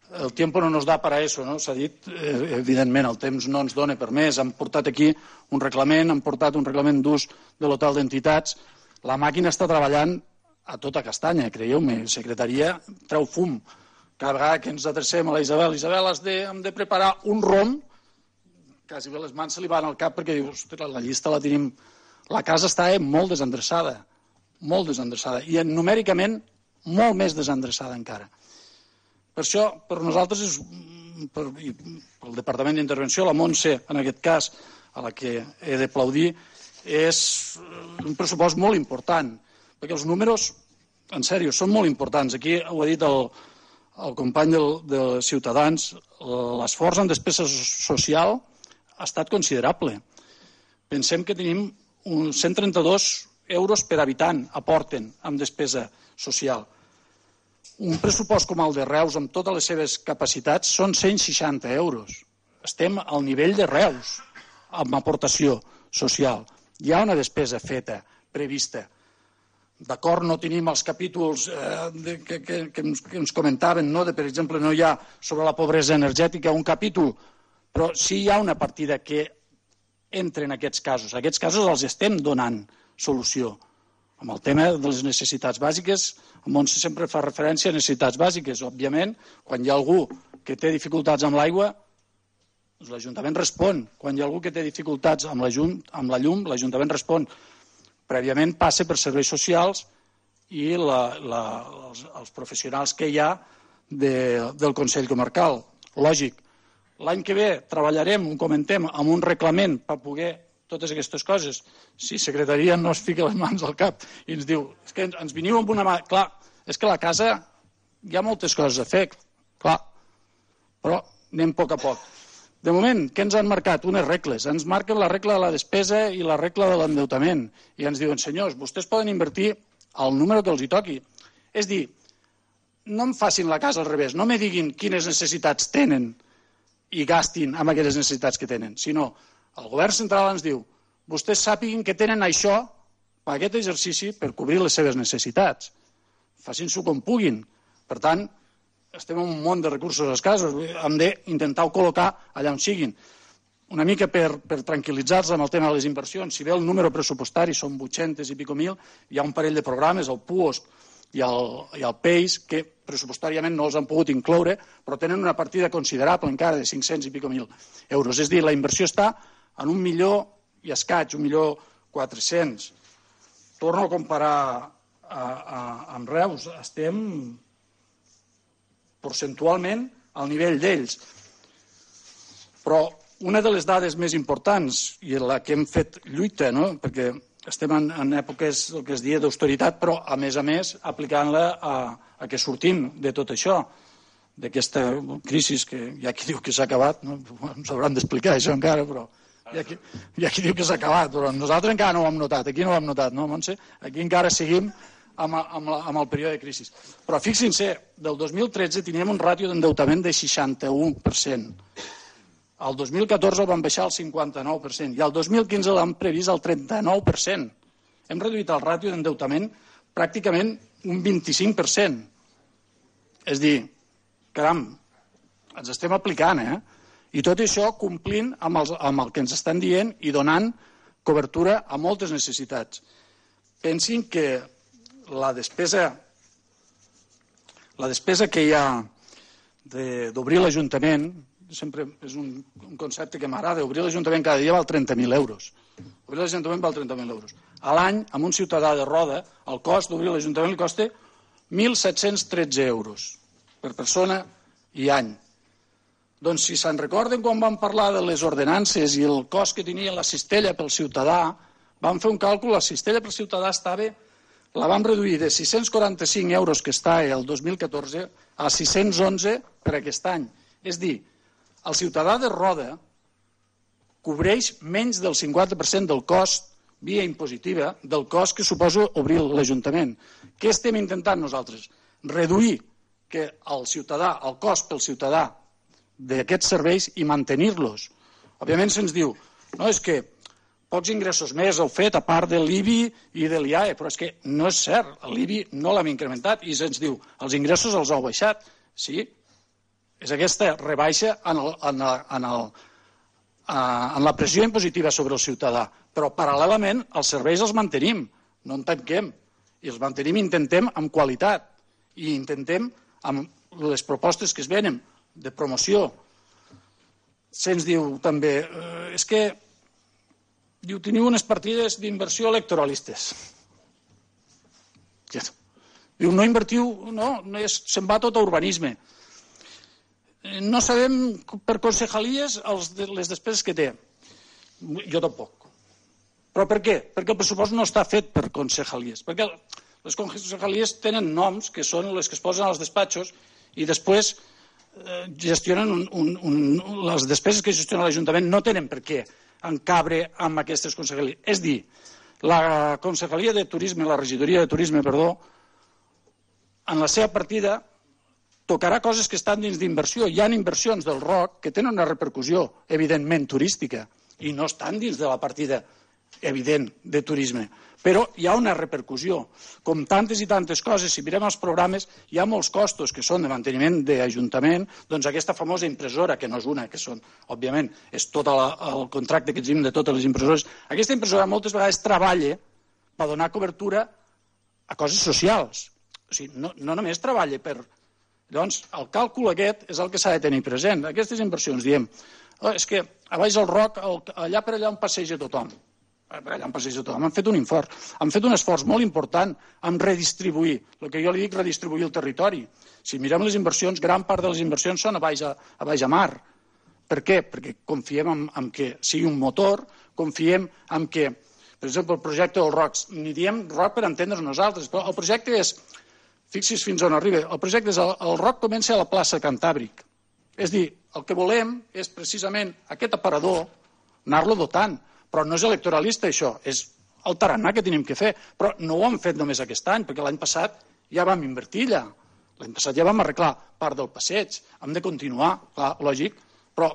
F: El tiempo no nos da para eso, no? S'ha dit, evidentment, el temps no ens dona per més. Han portat aquí un reglament, han portat un reglament d'ús de l'hotel d'entitats. La màquina està treballant a tota castanya, creieu-me. La secretaria treu fum. Cada vegada que ens adrecem a la Isabel, hem de preparar un rom, quasi bé les mans se li van al cap perquè diu, ostres, la llista la tenim... La casa està molt desendreçada, i numèricament molt més desendreçada encara. Per això, per nosaltres, pel Departament d'Intervenció, la Montse, en aquest cas, a la que he d'aplaudir, és un pressupost molt important, perquè els números, en sèrio, són molt importants. Aquí ho ha dit el company de Ciutadans, l'esforç en despesa social ha estat considerable. Pensem que tenim 132 euros per habitant aporten en despesa social. Un pressupost com el de Reus, amb totes les seves capacitats, són 160 euros. Estem al nivell de Reus, amb aportació social. Hi ha una despesa feta, prevista. D'acord, no tenim els capítols que ens comentaven, per exemple, no hi ha sobre la pobresa energètica un capítol, però sí hi ha una partida que entra en aquests casos. A aquests casos els estem donant solució. Amb el tema de les necessitats bàsiques, en Montse sempre fa referència a necessitats bàsiques. Òbviament, quan hi ha algú que té dificultats amb l'aigua, l'Ajuntament respon. Quan hi ha algú que té dificultats amb la llum, l'Ajuntament respon. Prèviament passa per serveis socials i els professionals que hi ha del Consell Comarcal. Lògic. L'any que ve treballarem, ho comentem, amb un reglament per poder totes aquestes coses. Si secretaria no es fica les mans al cap i ens diu, és que ens veniu amb una mà... Clar, és que a la casa hi ha moltes coses a fer, clar, però anem a poc a poc. De moment, què ens han marcat? Unes regles. Ens marquen la regla de la despesa i la regla de l'endeutament. I ens diuen, senyors, vostès poden invertir el número que els hi toqui. És dir, no em facin la casa al revés, no me diguin quines necessitats tenen i gastin amb aquelles necessitats que tenen, sinó el govern central ens diu, vostès sàpiguen que tenen això per aquest exercici per cobrir les seves necessitats. Facin-s'ho com puguin. Per tant, estem en un món de recursos escassos, hem d'intentar col·locar allà on siguin. Una mica per tranquil·litzar-los amb el tema de les inversions, si bé el número pressupostari són 800 i pico mil, hi ha un parell de programes, el PUOSC i el PEIS, que pressupostàriament no els han pogut incloure, però tenen una partida considerable encara de 500 i pico mil euros. És a dir, la inversió està en 1 milió i escaig, 1.400.000. Torno a comparar amb Reus. Estem percentualment al nivell d'ells. Però una de les dades més importants, i en la que hem fet lluita, perquè estem en èpoques, el que es diu, d'austeritat, però a més, aplicant-la a que sortim de tot això, d'aquesta crisi que hi ha qui diu que s'ha acabat, ens hauran d'explicar això encara, però hi ha qui diu que s'ha acabat, però nosaltres encara no ho hem notat, aquí no ho hem notat, no, Montse? Aquí encara seguim amb el període de crisi. Però fixin-se, del 2013 teníem un ràtio d'endeutament de 61%. El 2014 el vam baixar al 59% i el 2015 l'hem previst al 39%. Hem reduït el ràtio d'endeutament pràcticament un 25%. És dir, caram, ens estem aplicant, I tot això complint amb el que ens estan dient i donant cobertura a moltes necessitats. Pensin que la despesa que hi ha d'obrir l'Ajuntament, sempre és un concepte que m'agrada, obrir l'Ajuntament cada dia val 30.000 euros. Obrir l'Ajuntament val 30.000 euros. A l'any, amb un ciutadà de Roda, el cost d'obrir l'Ajuntament li costa 1.713 euros per persona i any. Doncs si se'n recorden quan vam parlar de les ordenances i el cost que tenia la cistella pel ciutadà, vam fer un càlcul, la cistella pel ciutadà la vam reduir de 645 euros que està el 2014 a 611 per aquest any. És dir, el ciutadà de Roda cobreix menys del 50% del cost via impositiva del cost que suposa obrir l'Ajuntament. Què estem intentant nosaltres? Reduir que el cost pel ciutadà d'aquests serveis i mantenir-los. Òbviament se'ns diu, no, és que pocs ingressos més heu fet a part de l'IBI i de l'IAE, però és que no és cert, l'IBI no l'hem incrementat i se'ns diu, els ingressos els heu baixat. Sí, és aquesta rebaixa en la pressió impositiva sobre el ciutadà, però paral·lelament els serveis els mantenim, no en tanquem, i els mantenim i intentem amb qualitat, i intentem amb les propostes que es venen de promoció. Se'ns diu també, és que diu, teniu unes partides d'inversió electoralistes. Diu, no invertiu, no, se'n va tot a urbanisme. No sabem per concejalies les despeses que té. Jo tampoc. Però per què? Perquè el pressupost no està fet per concejalies. Perquè les concejalies tenen noms que són les que es posen als despatxos i després gestionen les despeses que gestiona l'Ajuntament no tenen per què encabre amb aquestes concejalies. És dir, la concejalia de turisme, la regidoria de turisme, en la seva partida tocarà coses que estan dins d'inversió. Hi ha inversions del ROC que tenen una repercussió, evidentment, turística, i no estan dins de la partida evident de turisme. Però hi ha una repercussió. Com tantes i tantes coses, si mirem els programes, hi ha molts costos que són de manteniment d'Ajuntament, doncs aquesta famosa impressora, que no és una, que són, òbviament, és tot el contracte que tenim de totes les impressores. Aquesta impressora moltes vegades treballa per donar cobertura a coses socials. O sigui, no només treballa per... Llavors, el càlcul aquest és el que s'ha de tenir present. Aquestes inversions, diem, és que a baix del ROC, allà per allà on passeja tothom. Han fet un esforç molt important en redistribuir, el que jo li dic redistribuir el territori. Si mirem les inversions, gran part de les inversions són a baix a mar. Per què? Perquè confiem en que sigui un motor, confiem en que, per exemple, el projecte del ROC, ni diem ROC per entendre's nosaltres, però el projecte és, fixi's fins on arriba, el projecte és el ROC comença a la plaça Cantàbric. És dir, el que volem és precisament aquest aparador anar-lo dotant. Però no és electoralista, això, és el tarannà que tenim que fer. Però no ho hem fet només aquest any, perquè l'any passat ja vam invertir allà. L'any passat ja vam arreglar part del passeig. Hem de continuar, clar, lògic, però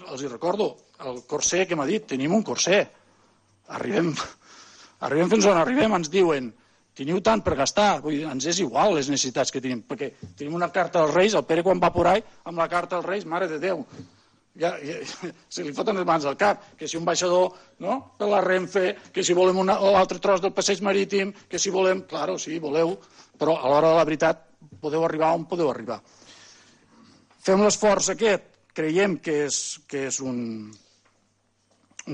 F: els hi recordo, el corser que m'ha dit, tenim un corser. Arribem fins on arribem, ens diuen, teniu tant per gastar, vull dir, ens és igual les necessitats que tenim, perquè tenim una carta dels Reis, el Pere quan va por ahí, amb la carta dels Reis, mare de Déu, ja se li foten les mans al cap, que si un baixador per la Renfe, que si volem l'altre tros del passeig marítim, que si volem, claro, sí, voleu, però a l'hora de la veritat podeu arribar on podeu arribar. Fem l'esforç aquest, creiem que és un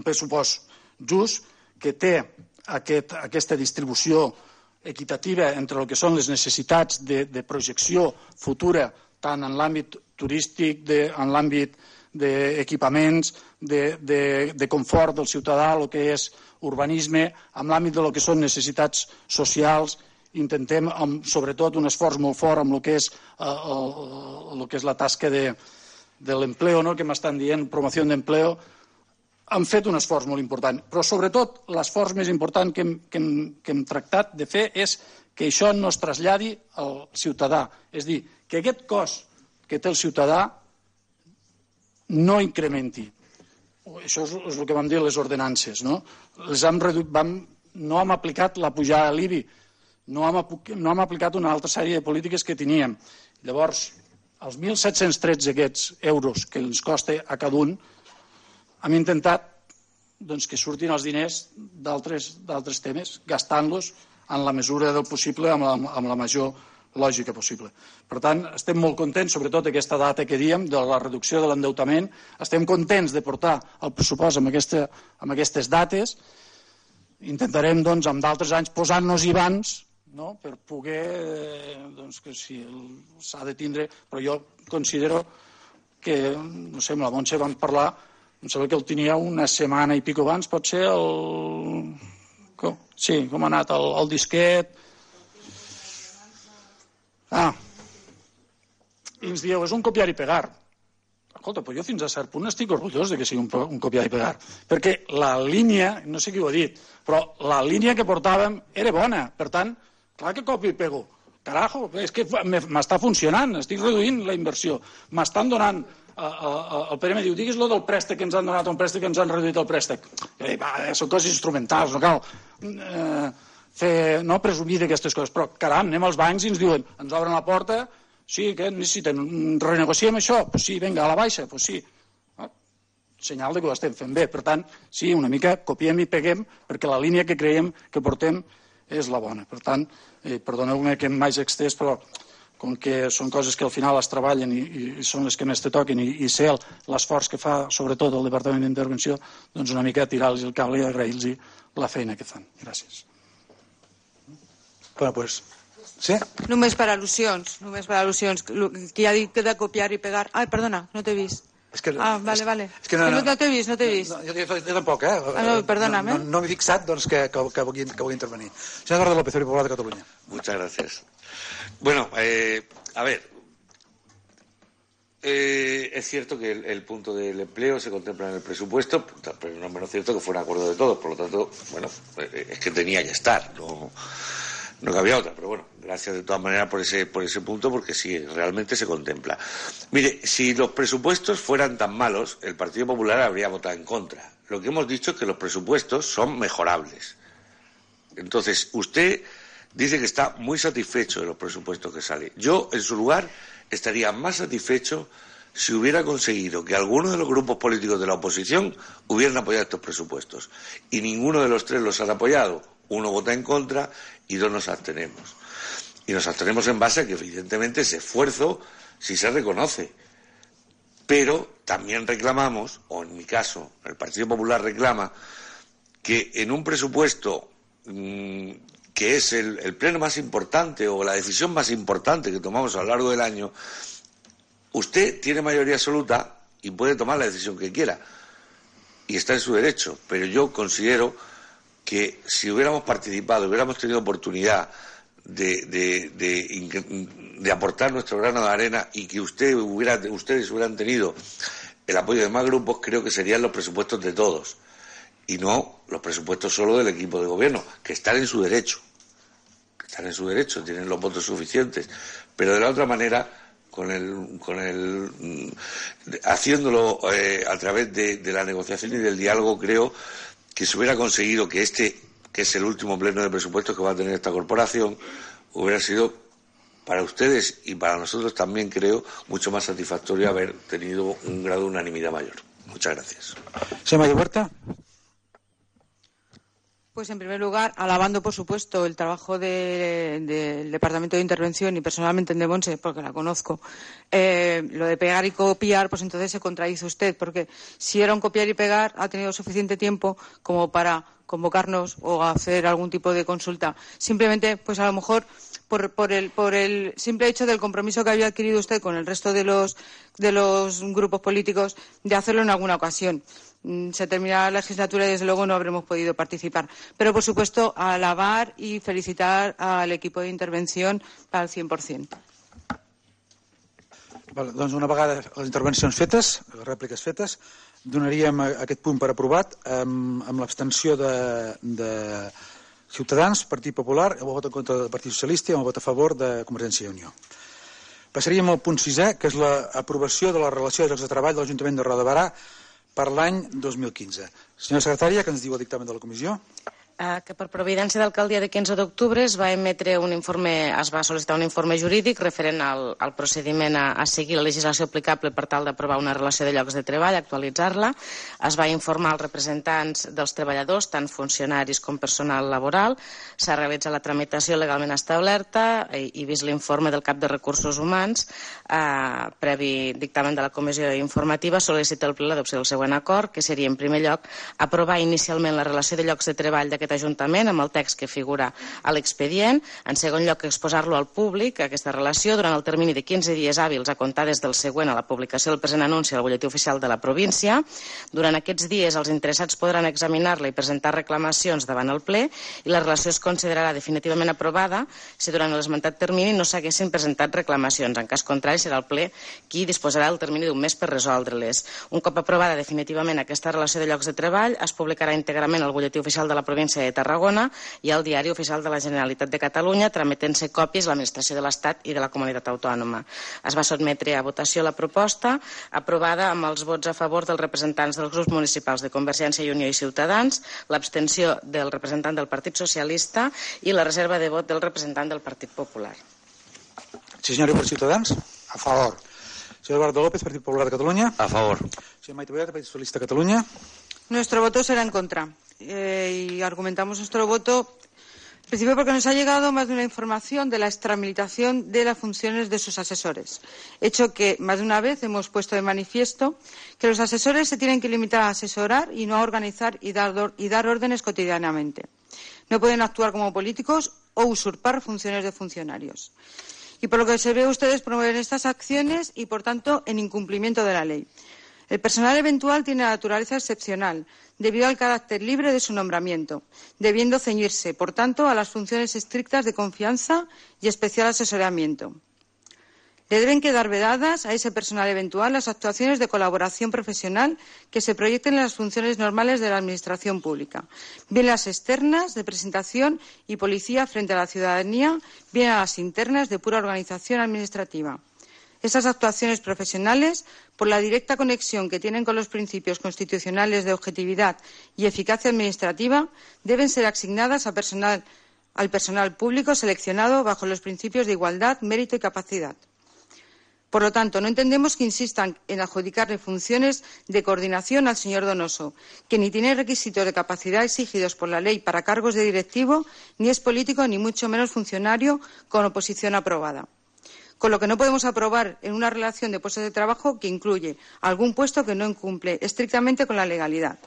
F: pressupost just, que té aquesta distribució equitativa entre el que són les necessitats de projecció futura, tant en l'àmbit turístic, en l'àmbit d'equipaments, de confort del ciutadà, el que és urbanisme, en l'àmbit de lo que són necessitats socials. Intentem, sobretot, un esforç molt fort amb el que és la tasca de l'empleo, que m'estan dient, promoció d'empleo. Han fet un esforç molt important, però sobretot l'esforç més important que hem tractat de fer és que això no es traslladi al ciutadà. És dir, que aquest cost que té el ciutadà no incrementi. Això és el que vam dir a les ordenances. No hem aplicat la pujada de l'IBI, no hem aplicat una altra sèrie de polítiques que teníem. Llavors, els 1.713 aquests euros que ens costa a cada un, hem intentat que surtin els diners d'altres temes, gastant-los en la mesura del possible amb la major lògica possible. Per tant, estem molt contents, sobretot aquesta data que diem, de la reducció de l'endeutament. Estem contents de portar el pressupost amb aquestes dates. Intentarem, doncs, amb d'altres anys, posant-nos-hi abans, no?, per poder, que si s'ha de tindre, però jo considero que, no sé, amb la Montse vam parlar, em sembla que el tenia una setmana i pico abans, pot ser sí, com ha anat el disquet. I ens dieu, és un copiar i pegar. Escolta, però jo fins a cert punt estic orgullós de que sigui un copiar i pegar, perquè la línia, no sé qui ho ha dit, però la línia que portàvem era bona, per tant, clar que copio i pego. Carajo, és que m'està funcionant, estic reduint la inversió. M'estan donant, el Pere me diu, digues lo del préstec que ens han donat, un préstec que ens han reduït el préstec. Són coses instrumentals, no cal presumir d'aquestes coses, però caram, anem als bancs i ens diuen, ens obren la porta, sí, què necessiten, renegociem això? Doncs sí, vinga, a la baixa, doncs sí. Senyal que ho estem fent bé, per tant, sí, una mica copiem i peguem, perquè la línia que creiem que portem és la bona. Per tant, perdoneu-me que m'hagi extès, però com que són coses que al final es treballen i són les que més te toquen i sé l'esforç que fa sobretot el Departament d'Intervenció, doncs una mica tirar-los el cable i agrair-los la feina que fan. Gràcies.
A: Bueno, pues, sí?
C: Només per al·lusions. Qui ha dit que de copiar i pegar... Ai, perdona, no t'he vist. Vale. És que no t'he vist.
A: Jo tampoc,
C: perdóname.
A: No m'he fixat que vull intervenir. Senyor Eduardo López, Popular de Cataluña.
E: Muchas gracias. Bueno, a ver, es cierto que el punto del empleo se contempla en el presupuesto, pero no es menos cierto que fue un acuerdo de todos, por lo tanto, bueno, es que tenía que estar, no cabía otra, pero bueno, gracias de todas maneras por ese punto, porque sí, realmente se contempla. Mire, si los presupuestos fueran tan malos, el Partido Popular habría votado en contra. Lo que hemos dicho es que los presupuestos son mejorables. Entonces, usted dice que está muy satisfecho de los presupuestos que salen. Yo, en su lugar, estaría más satisfecho si hubiera conseguido que algunos de los grupos políticos de la oposición hubieran apoyado estos presupuestos. Y ninguno de los tres los han apoyado. Uno vota en contra y dos nos abstenemos. Y nos abstenemos en base a que, evidentemente, ese esfuerzo sí se reconoce. Pero también reclamamos, o en mi caso, el Partido Popular reclama, que en un presupuesto que es el pleno más importante o la decisión más importante que tomamos a lo largo del año, usted tiene mayoría absoluta y puede tomar la decisión que quiera. Y está en su derecho. Pero yo considero que si hubiéramos participado, hubiéramos tenido oportunidad de aportar nuestro grano de arena y que ustedes hubieran tenido el apoyo de más grupos, creo que serían los presupuestos de todos y no los presupuestos solo del equipo de gobierno, que están en su derecho, tienen los votos suficientes, pero de la otra manera, haciéndolo a través de la negociación y del diálogo, creo que se hubiera conseguido que que es el último pleno de presupuestos que va a tener esta corporación, hubiera sido para ustedes y para nosotros también, creo, mucho más satisfactorio haber tenido un grado de unanimidad mayor. Muchas gracias.
A: Señora Huerta.
C: Pues en primer lugar, alabando por supuesto el trabajo del Departamento de Intervención y personalmente el de Montse, porque la conozco. Lo de pegar y copiar, pues entonces se contradice usted, porque si era un copiar y pegar, ha tenido suficiente tiempo como para convocarnos o hacer algún tipo de consulta. Simplemente, pues a lo mejor por el simple hecho del compromiso que había adquirido usted con el resto de los grupos políticos de hacerlo en alguna ocasión. Se termina la legislatura y desde luego no habremos podido participar. Pero por supuesto alabar y felicitar al equipo de intervención al 100%.
A: Vale, doncs una vegada les intervencions fetes, les rèpliques fetes, donaríem aquest punt per aprovat amb l'abstenció de Ciutadans, Partit Popular, el vot en contra del Partit Socialista i el vot a favor de Convergència i Unió. Passaríem al punt 6è, que és l'aprovació de la relació de llocs de treball de l'Ajuntament de Roda de Barà per l'any 2015. Senyora secretària, què ens diu el dictamen de la comissió?
D: Que per providència d'alcaldia de 15 d'octubre es va sol·licitar un informe jurídic referent al procediment a seguir la legislació aplicable per tal d'aprovar una relació de llocs de treball, actualitzar-la. Es va informar als representants dels treballadors, tant funcionaris com personal laboral. S'ha realitzat la tramitació legalment establerta i vist l'informe del cap de Recursos Humans, previ dictamen de la comissió informativa, sol·licita el ple l'adopció del següent acord, que seria, en primer lloc, aprovar inicialment la relació de llocs de treball d'aquest Ajuntament amb el text que figura a l'expedient. En segon lloc, exposar-lo al públic, aquesta relació, durant el termini de 15 dies hàbils a comptar des del següent a la publicació del present anunci al butlletí oficial de la província. Durant aquests dies, els interessats podran examinar-la i presentar reclamacions davant el ple i la relació es considerarà definitivament aprovada si durant l'esmentat termini no s'haguessin presentat reclamacions. En cas contrari, serà el ple qui disposarà del termini d'un mes per resoldre-les. Un cop aprovada definitivament aquesta relació de llocs de treball, es publicarà íntegrament al butlletí oficial de la província de Tarragona i al Diari Oficial de la Generalitat de Catalunya, trametent-se còpies a l'Administració de l'Estat i de la Comunitat Autònoma. Es va sotmetre a votació la proposta, aprovada amb els vots a favor dels representants dels grups municipals de Convergència i Unió i Ciutadans, l'abstenció del representant del Partit Socialista i la reserva de vot del representant del Partit Popular.
A: Sí, senyor, per Ciutadans.
B: A favor.
A: Señor Eduardo López, Partido Popular de Cataluña.
E: A favor.
A: Señor Maite Boyata, Partido Socialista de Cataluña.
C: Nuestro voto será en contra. Y argumentamos nuestro voto, en principio, porque nos ha llegado más de una información de la extramilitación de las funciones de sus asesores. Hecho que más de una vez hemos puesto de manifiesto que los asesores se tienen que limitar a asesorar y no a organizar y dar órdenes cotidianamente. No pueden actuar como políticos o usurpar funciones de funcionarios. Y por lo que se ve, ustedes promueven estas acciones y, por tanto, en incumplimiento de la ley. El personal eventual tiene naturaleza excepcional, debido al carácter libre de su nombramiento, debiendo ceñirse, por tanto, a las funciones estrictas de confianza y especial asesoramiento. Le deben quedar vedadas a ese personal eventual las actuaciones de colaboración profesional que se proyecten en las funciones normales de la Administración pública, bien las externas de presentación y policía frente a la ciudadanía, bien a las internas de pura organización administrativa. Esas actuaciones profesionales, por la directa conexión que tienen con los principios constitucionales de objetividad y eficacia administrativa, deben ser asignadas al personal público seleccionado bajo los principios de igualdad, mérito y capacidad. Por lo tanto, no entendemos que insistan en adjudicarle funciones de coordinación al señor Donoso, que ni tiene requisitos de capacidad exigidos por la ley para cargos de directivo, ni es político, ni mucho menos funcionario con oposición aprobada. Con lo que no podemos aprobar en una relación de puestos de trabajo que incluye algún puesto que no incumple estrictamente con la legalidad.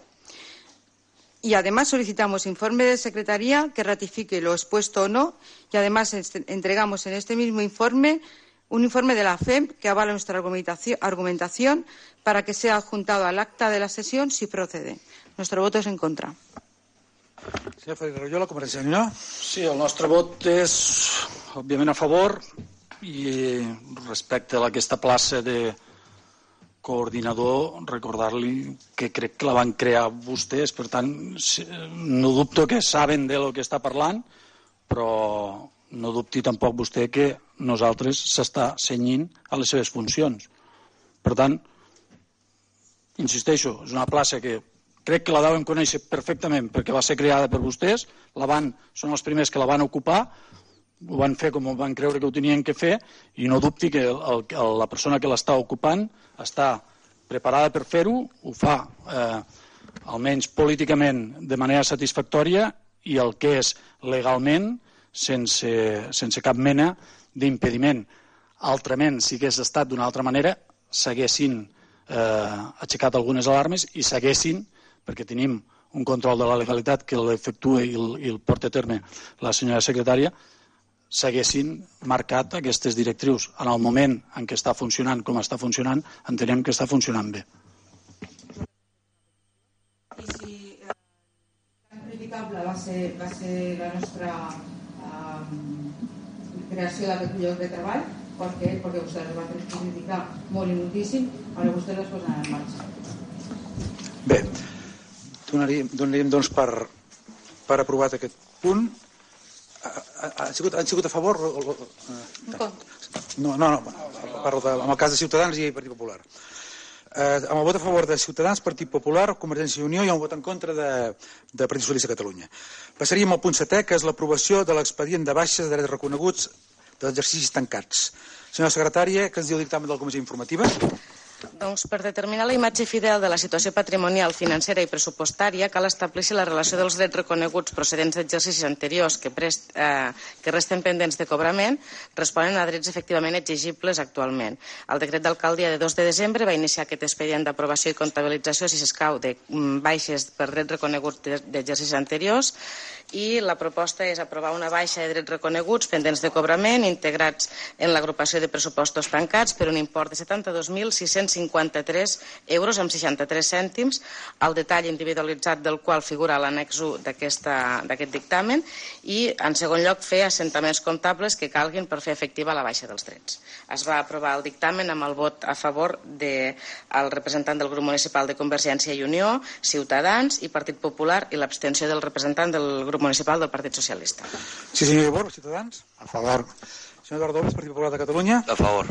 C: Y además solicitamos informe de Secretaría que ratifique lo expuesto o no, y además entregamos en este mismo informe un informe de la FEM que avala nuestra argumentación para que sea adjuntado al acta de la sesión si procede. Nuestro voto és en contra.
A: Senyor Félix Royola, Convergència i Unió.
F: Sí, el nostre vot és, òbviament, a favor, i respecte a aquesta plaça de coordinador, recordar-li que crec que la van crear vostès, per tant, no dubto que saben de lo que està parlant, però no dubti tampoc vostè que nosaltres s'està cenyint a les seves funcions. Per tant, insisteixo, és una plaça que crec que la deuen conèixer perfectament perquè va ser creada per vostès, són els primers que la van ocupar, ho van fer com van creure que ho tenien que fer i no dubti que la persona que l'està ocupant està preparada per fer-ho, ho fa almenys políticament de manera satisfactòria i el que és legalment sense cap mena d'impediment. Altrament, si hagués estat d'una altra manera, s'haguessin aixecat algunes alarmes i s'haguessin, perquè tenim un control de la legalitat que l'efectua i el porta a terme la senyora secretària, s'haguessin marcat aquestes directrius. En el moment en què està funcionant com està funcionant, entenem que està funcionant bé.
C: I si criticable va ser la nostra creació d'aquest lloc de treball, perquè vostès el van criticar molt i moltíssim, ara vostès les posen en marxa.
A: Bé, donaríem doncs per aprovat aquest punt. Han sigut a favor? No, parlo en el cas de Ciutadans i Partit Popular. Amb el vot a favor de Ciutadans, Partit Popular, Convergència i Unió i un vot en contra de Partit Socialista de Catalunya. Passaríem al punt 7è, que és l'aprovació de l'expedient de baixes de drets reconeguts d'exercicis tancats. Senyora secretària, què ens diu el dictamen de la Comissió Informativa?
D: Doncs per determinar la imatge fidel de la situació patrimonial, financera i pressupostària cal establir si la relació dels drets reconeguts procedents d'exercicis anteriors que resten pendents de cobrament responen a drets efectivament exigibles actualment. El decret d'alcaldia de 2 de desembre va iniciar aquest expedient d'aprovació i comptabilització, si s'escau, de baixes per drets reconeguts d'exercicis anteriors, i la proposta és aprovar una baixa de drets reconeguts pendents de cobrament integrats en l'agrupació de pressupostos tancats per un import de 72.653 euros amb 63 cèntims, el detall individualitzat del qual figura a l'annex 1 d'aquest dictamen, i en segon lloc fer assentaments comptables que calguin per fer efectiva la baixa dels drets. Es va aprovar el dictamen amb el vot a favor del representant del grup municipal de Convergència i Unió, Ciutadans i Partit Popular, i l'abstenció del representant del grup municipal del Partit Socialista.
A: Sí, senyor Ibor, Ciutadans.
B: A favor.
A: Senyor Eduardo López, Partit Popular de Catalunya.
E: A favor.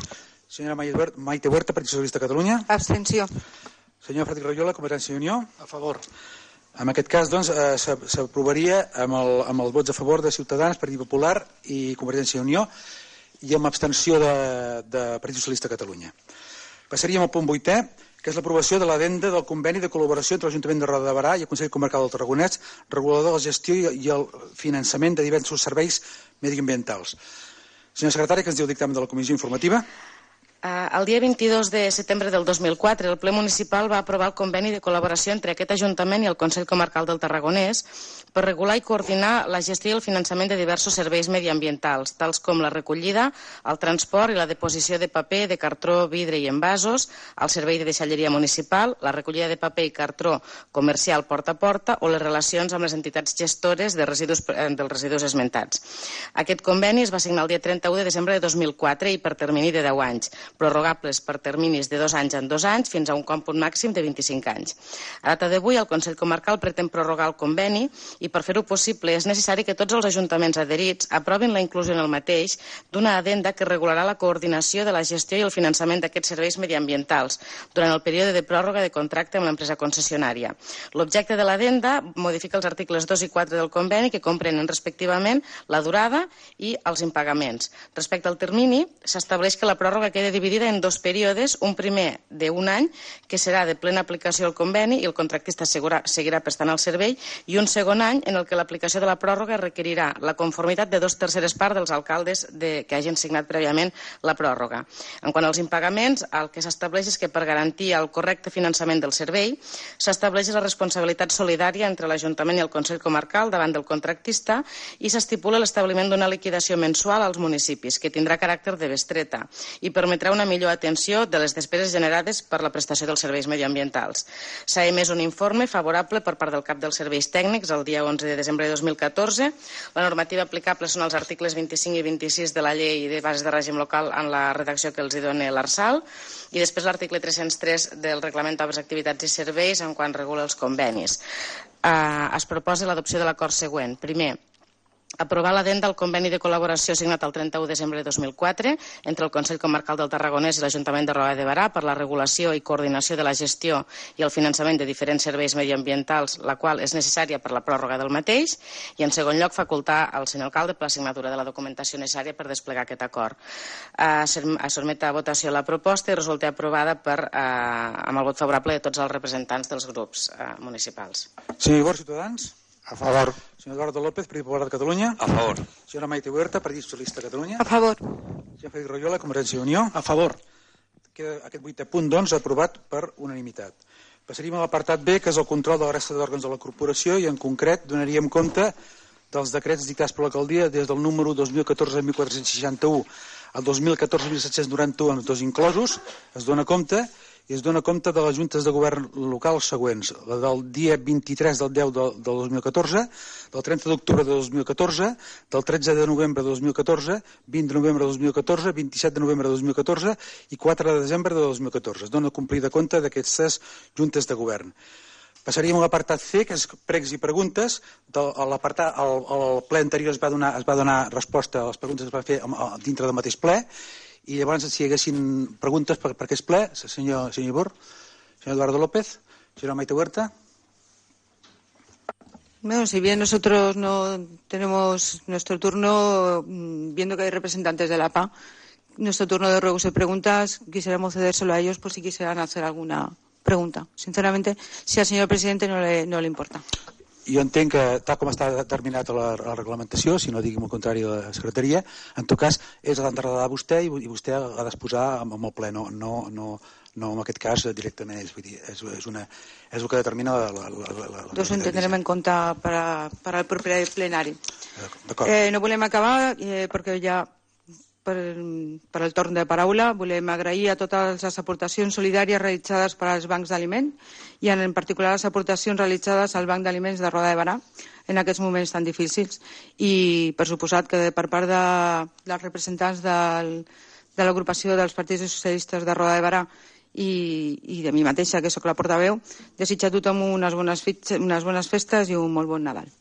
A: Senyora Maite Huerta, Partit Socialista de Catalunya.
C: Abstenció.
A: Senyor Frederic Rajola, Convergència i Unió. A favor. En aquest cas, doncs, s'aprovaria amb els vots a favor de Ciutadans, Partit Popular i Convergència i Unió, i amb abstenció de Partit Socialista de Catalunya. Passaríem al punt 8è, que és l'aprovació de l'addenda del conveni de col·laboració entre l'Ajuntament de Roda de Barà i el Consell Comarcal del Tarragonès, regulador de la gestió i el finançament de diversos serveis mediambientals. Senyora secretària, què ens diu el dictamen de la Comissió Informativa?
D: El dia 22 de setembre del 2004, el ple municipal va aprovar el conveni de col·laboració entre aquest Ajuntament i el Consell Comarcal del Tarragonès per regular i coordinar la gestió i el finançament de diversos serveis mediambientals, tals com la recollida, el transport i la deposició de paper, de cartró, vidre i envasos, el servei de deixalleria municipal, la recollida de paper i cartró comercial porta a porta o les relacions amb les entitats gestores dels residus esmentats. Aquest conveni es va signar el dia 31 de desembre de 2004 i per termini de 10 anys, prorrogables per terminis de 2 anys en 2 anys fins a un còmput màxim de 25 anys. A data d'avui, el Consell Comarcal pretén prorrogar el conveni i per fer-ho possible és necessari que tots els ajuntaments adherits aprovin la inclusió en el mateix d'una addenda que regularà la coordinació de la gestió i el finançament d'aquests serveis mediambientals durant el període de pròrroga de contracte amb l'empresa concessionària. L'objecte de l'addenda modifica els articles 2 i 4 del conveni que comprenen respectivament la durada i els impagaments. Respecte al termini, s'estableix que la pròrroga queda dividida en 2 períodes, un primer d'1 any, que serà de plena aplicació al conveni i el contractista seguirà prestant el servei, i un segon any en el que l'aplicació de la pròrroga requerirà la conformitat de 2/3 parts dels alcaldes que hagin signat prèviament la pròrroga. En quant als impagaments, el que s'estableix és que per garantir el correcte finançament del servei s'estableix la responsabilitat solidària entre l'Ajuntament i el Consell Comarcal davant del contractista i s'estipula l'establiment d'una liquidació mensual als municipis que tindrà caràcter de bestreta i permetrà una millor atenció de les despeses generades per la prestació dels serveis mediambientals. S'ha emès un informe favorable per part del cap dels serveis tècnics el dia 11 de desembre de 2014. La normativa aplicable són els articles 25 i 26 de la Llei de Bases de Règim Local en la redacció que els dona l'Arsal, i després l'article 303 del Reglament d'Obres, Activitats i Serveis en quan regula els convenis. Es proposa l'adopció de l'acord següent. Primer, aprovar l'addenda al conveni de col·laboració signat el 31 de desembre de 2004 entre el Consell Comarcal del Tarragonès i l'Ajuntament de Roda de Barà per la regulació i coordinació de la gestió i el finançament de diferents serveis mediambientals, la qual és necessària per la pròrroga del mateix, i en segon lloc facultar al senyor alcalde per la signatura de la documentació necessària per desplegar aquest acord. Es sotmet a votació la proposta i resulta aprovada amb el vot favorable de tots els representants dels grups municipals.
A: Senyor Ibor, Ciutadans.
B: A favor.
A: Senyor Eduardo López, Partit Popular de Catalunya.
E: A favor.
A: Senyora Maite Huerta, Partit Socialista de Catalunya.
C: A favor.
A: Senyor Frederic Rajola, Convergència i Unió.
F: A favor.
A: Queda aquest 8è punt, doncs, aprovat per unanimitat. Passaríem a l'apartat B, que és el control de la resta d'òrgans de la corporació, i en concret donaríem compte dels decrets dictats per l'alcaldia des del número 2014-1461 al 2014-1791, amb tots inclosos. Es dona compte de les juntes de govern local següents: la del dia 23 del 10 del 2014, del 30 d'octubre de 2014, del 13 de novembre de 2014, 20 de novembre de 2014, 27 de novembre de 2014 i 4 de desembre de 2014. Es dona complida compte d'aquestes juntes de govern. Passaríem a l'apartat C, que és pregs i preguntes. Al ple anterior es va donar resposta a les preguntes que es va fer dintre del mateix ple, i llavors si hi haguessin preguntes per aquest ple, senyor Ibor. Señor Eduardo López. Señora Maite Huerta.
C: Bueno, si bien nosotros no tenemos nuestro turno, viendo que hay representantes de la APA, nuestro turno de ruegos y preguntas, quisiéramos cedérselo a ellos por si quisieran hacer alguna pregunta. Sinceramente, si al señor presidente no le importa.
A: Jo entenc que, tal com està determinat a la reglamentació, si no diguem el contrari a la secretaria, en tot cas és d'enredar vostè i vostè ha d'exposar amb el ple, no en aquest cas directament ells. Vull dir, és el que determina la
C: Doncs ho tindrem en compte per al proper plenari. No volem acabar perquè ja per el torn de paraula volem agrair a totes les aportacions solidàries realitzades per als bancs d'aliment i en particular les aportacions realitzades al Banc d'Aliments de Roda de Barà en aquests moments tan difícils i per suposat que per part dels representants de l'agrupació dels partits socialistes de Roda de Barà i de mi mateixa, que sóc la portaveu, desitjar a tothom unes bones festes i un molt bon Nadal.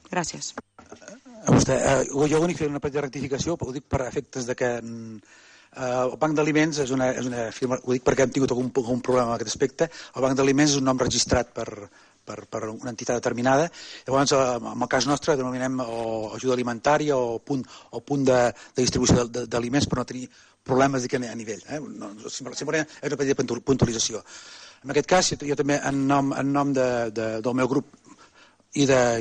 C: Gràcies.
A: Jo l'únic fer una petita rectificació, ho dic per efectes de que el Banc d'Aliments és una firma, ho dic perquè hem tingut algun problema en aquest aspecte. El Banc d'Aliments és un nom registrat per una entitat determinada. Llavors, en el cas nostre, denominem ajuda alimentària o punt de distribució d'aliments per no tenir problemes a nivell. Simplement és una petita puntualització. En aquest cas, jo també, en nom del meu grup i de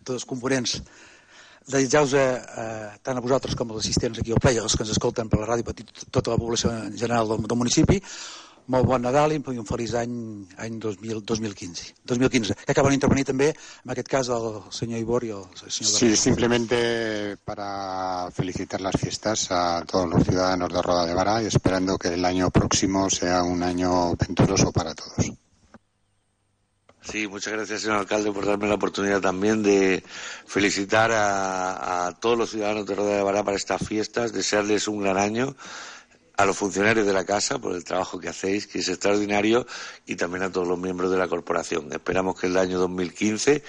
A: tots els components, desitjar-vos tant a vosaltres com als assistents aquí al ple i als que ens escolten per la ràdio, per tota la població en general del municipi, molt bon Nadal i un feliç any 2015. Que acaben d'intervenir també, en aquest cas, el senyor Ibor y el señor...
B: Sí, simplemente para felicitar las fiestas a todos los ciudadanos de Roda de Bará y esperando que el año próximo sea un año venturoso para todos.
E: Sí, muchas gracias, señor alcalde, por darme la oportunidad también de felicitar a todos los ciudadanos de Roda de Bará para estas fiestas, desearles un gran año, a los funcionarios de la casa por el trabajo que hacéis, que es extraordinario, y también a todos los miembros de la corporación. Esperamos que el año 2015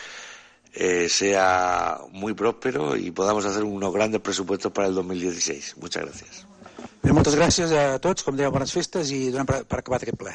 E: sea muy próspero y podamos hacer unos grandes presupuestos para el 2016. Muchas gracias.
A: Moltes gràcies a tots, com dèiem, bones festes i donem per acabat aquest ple.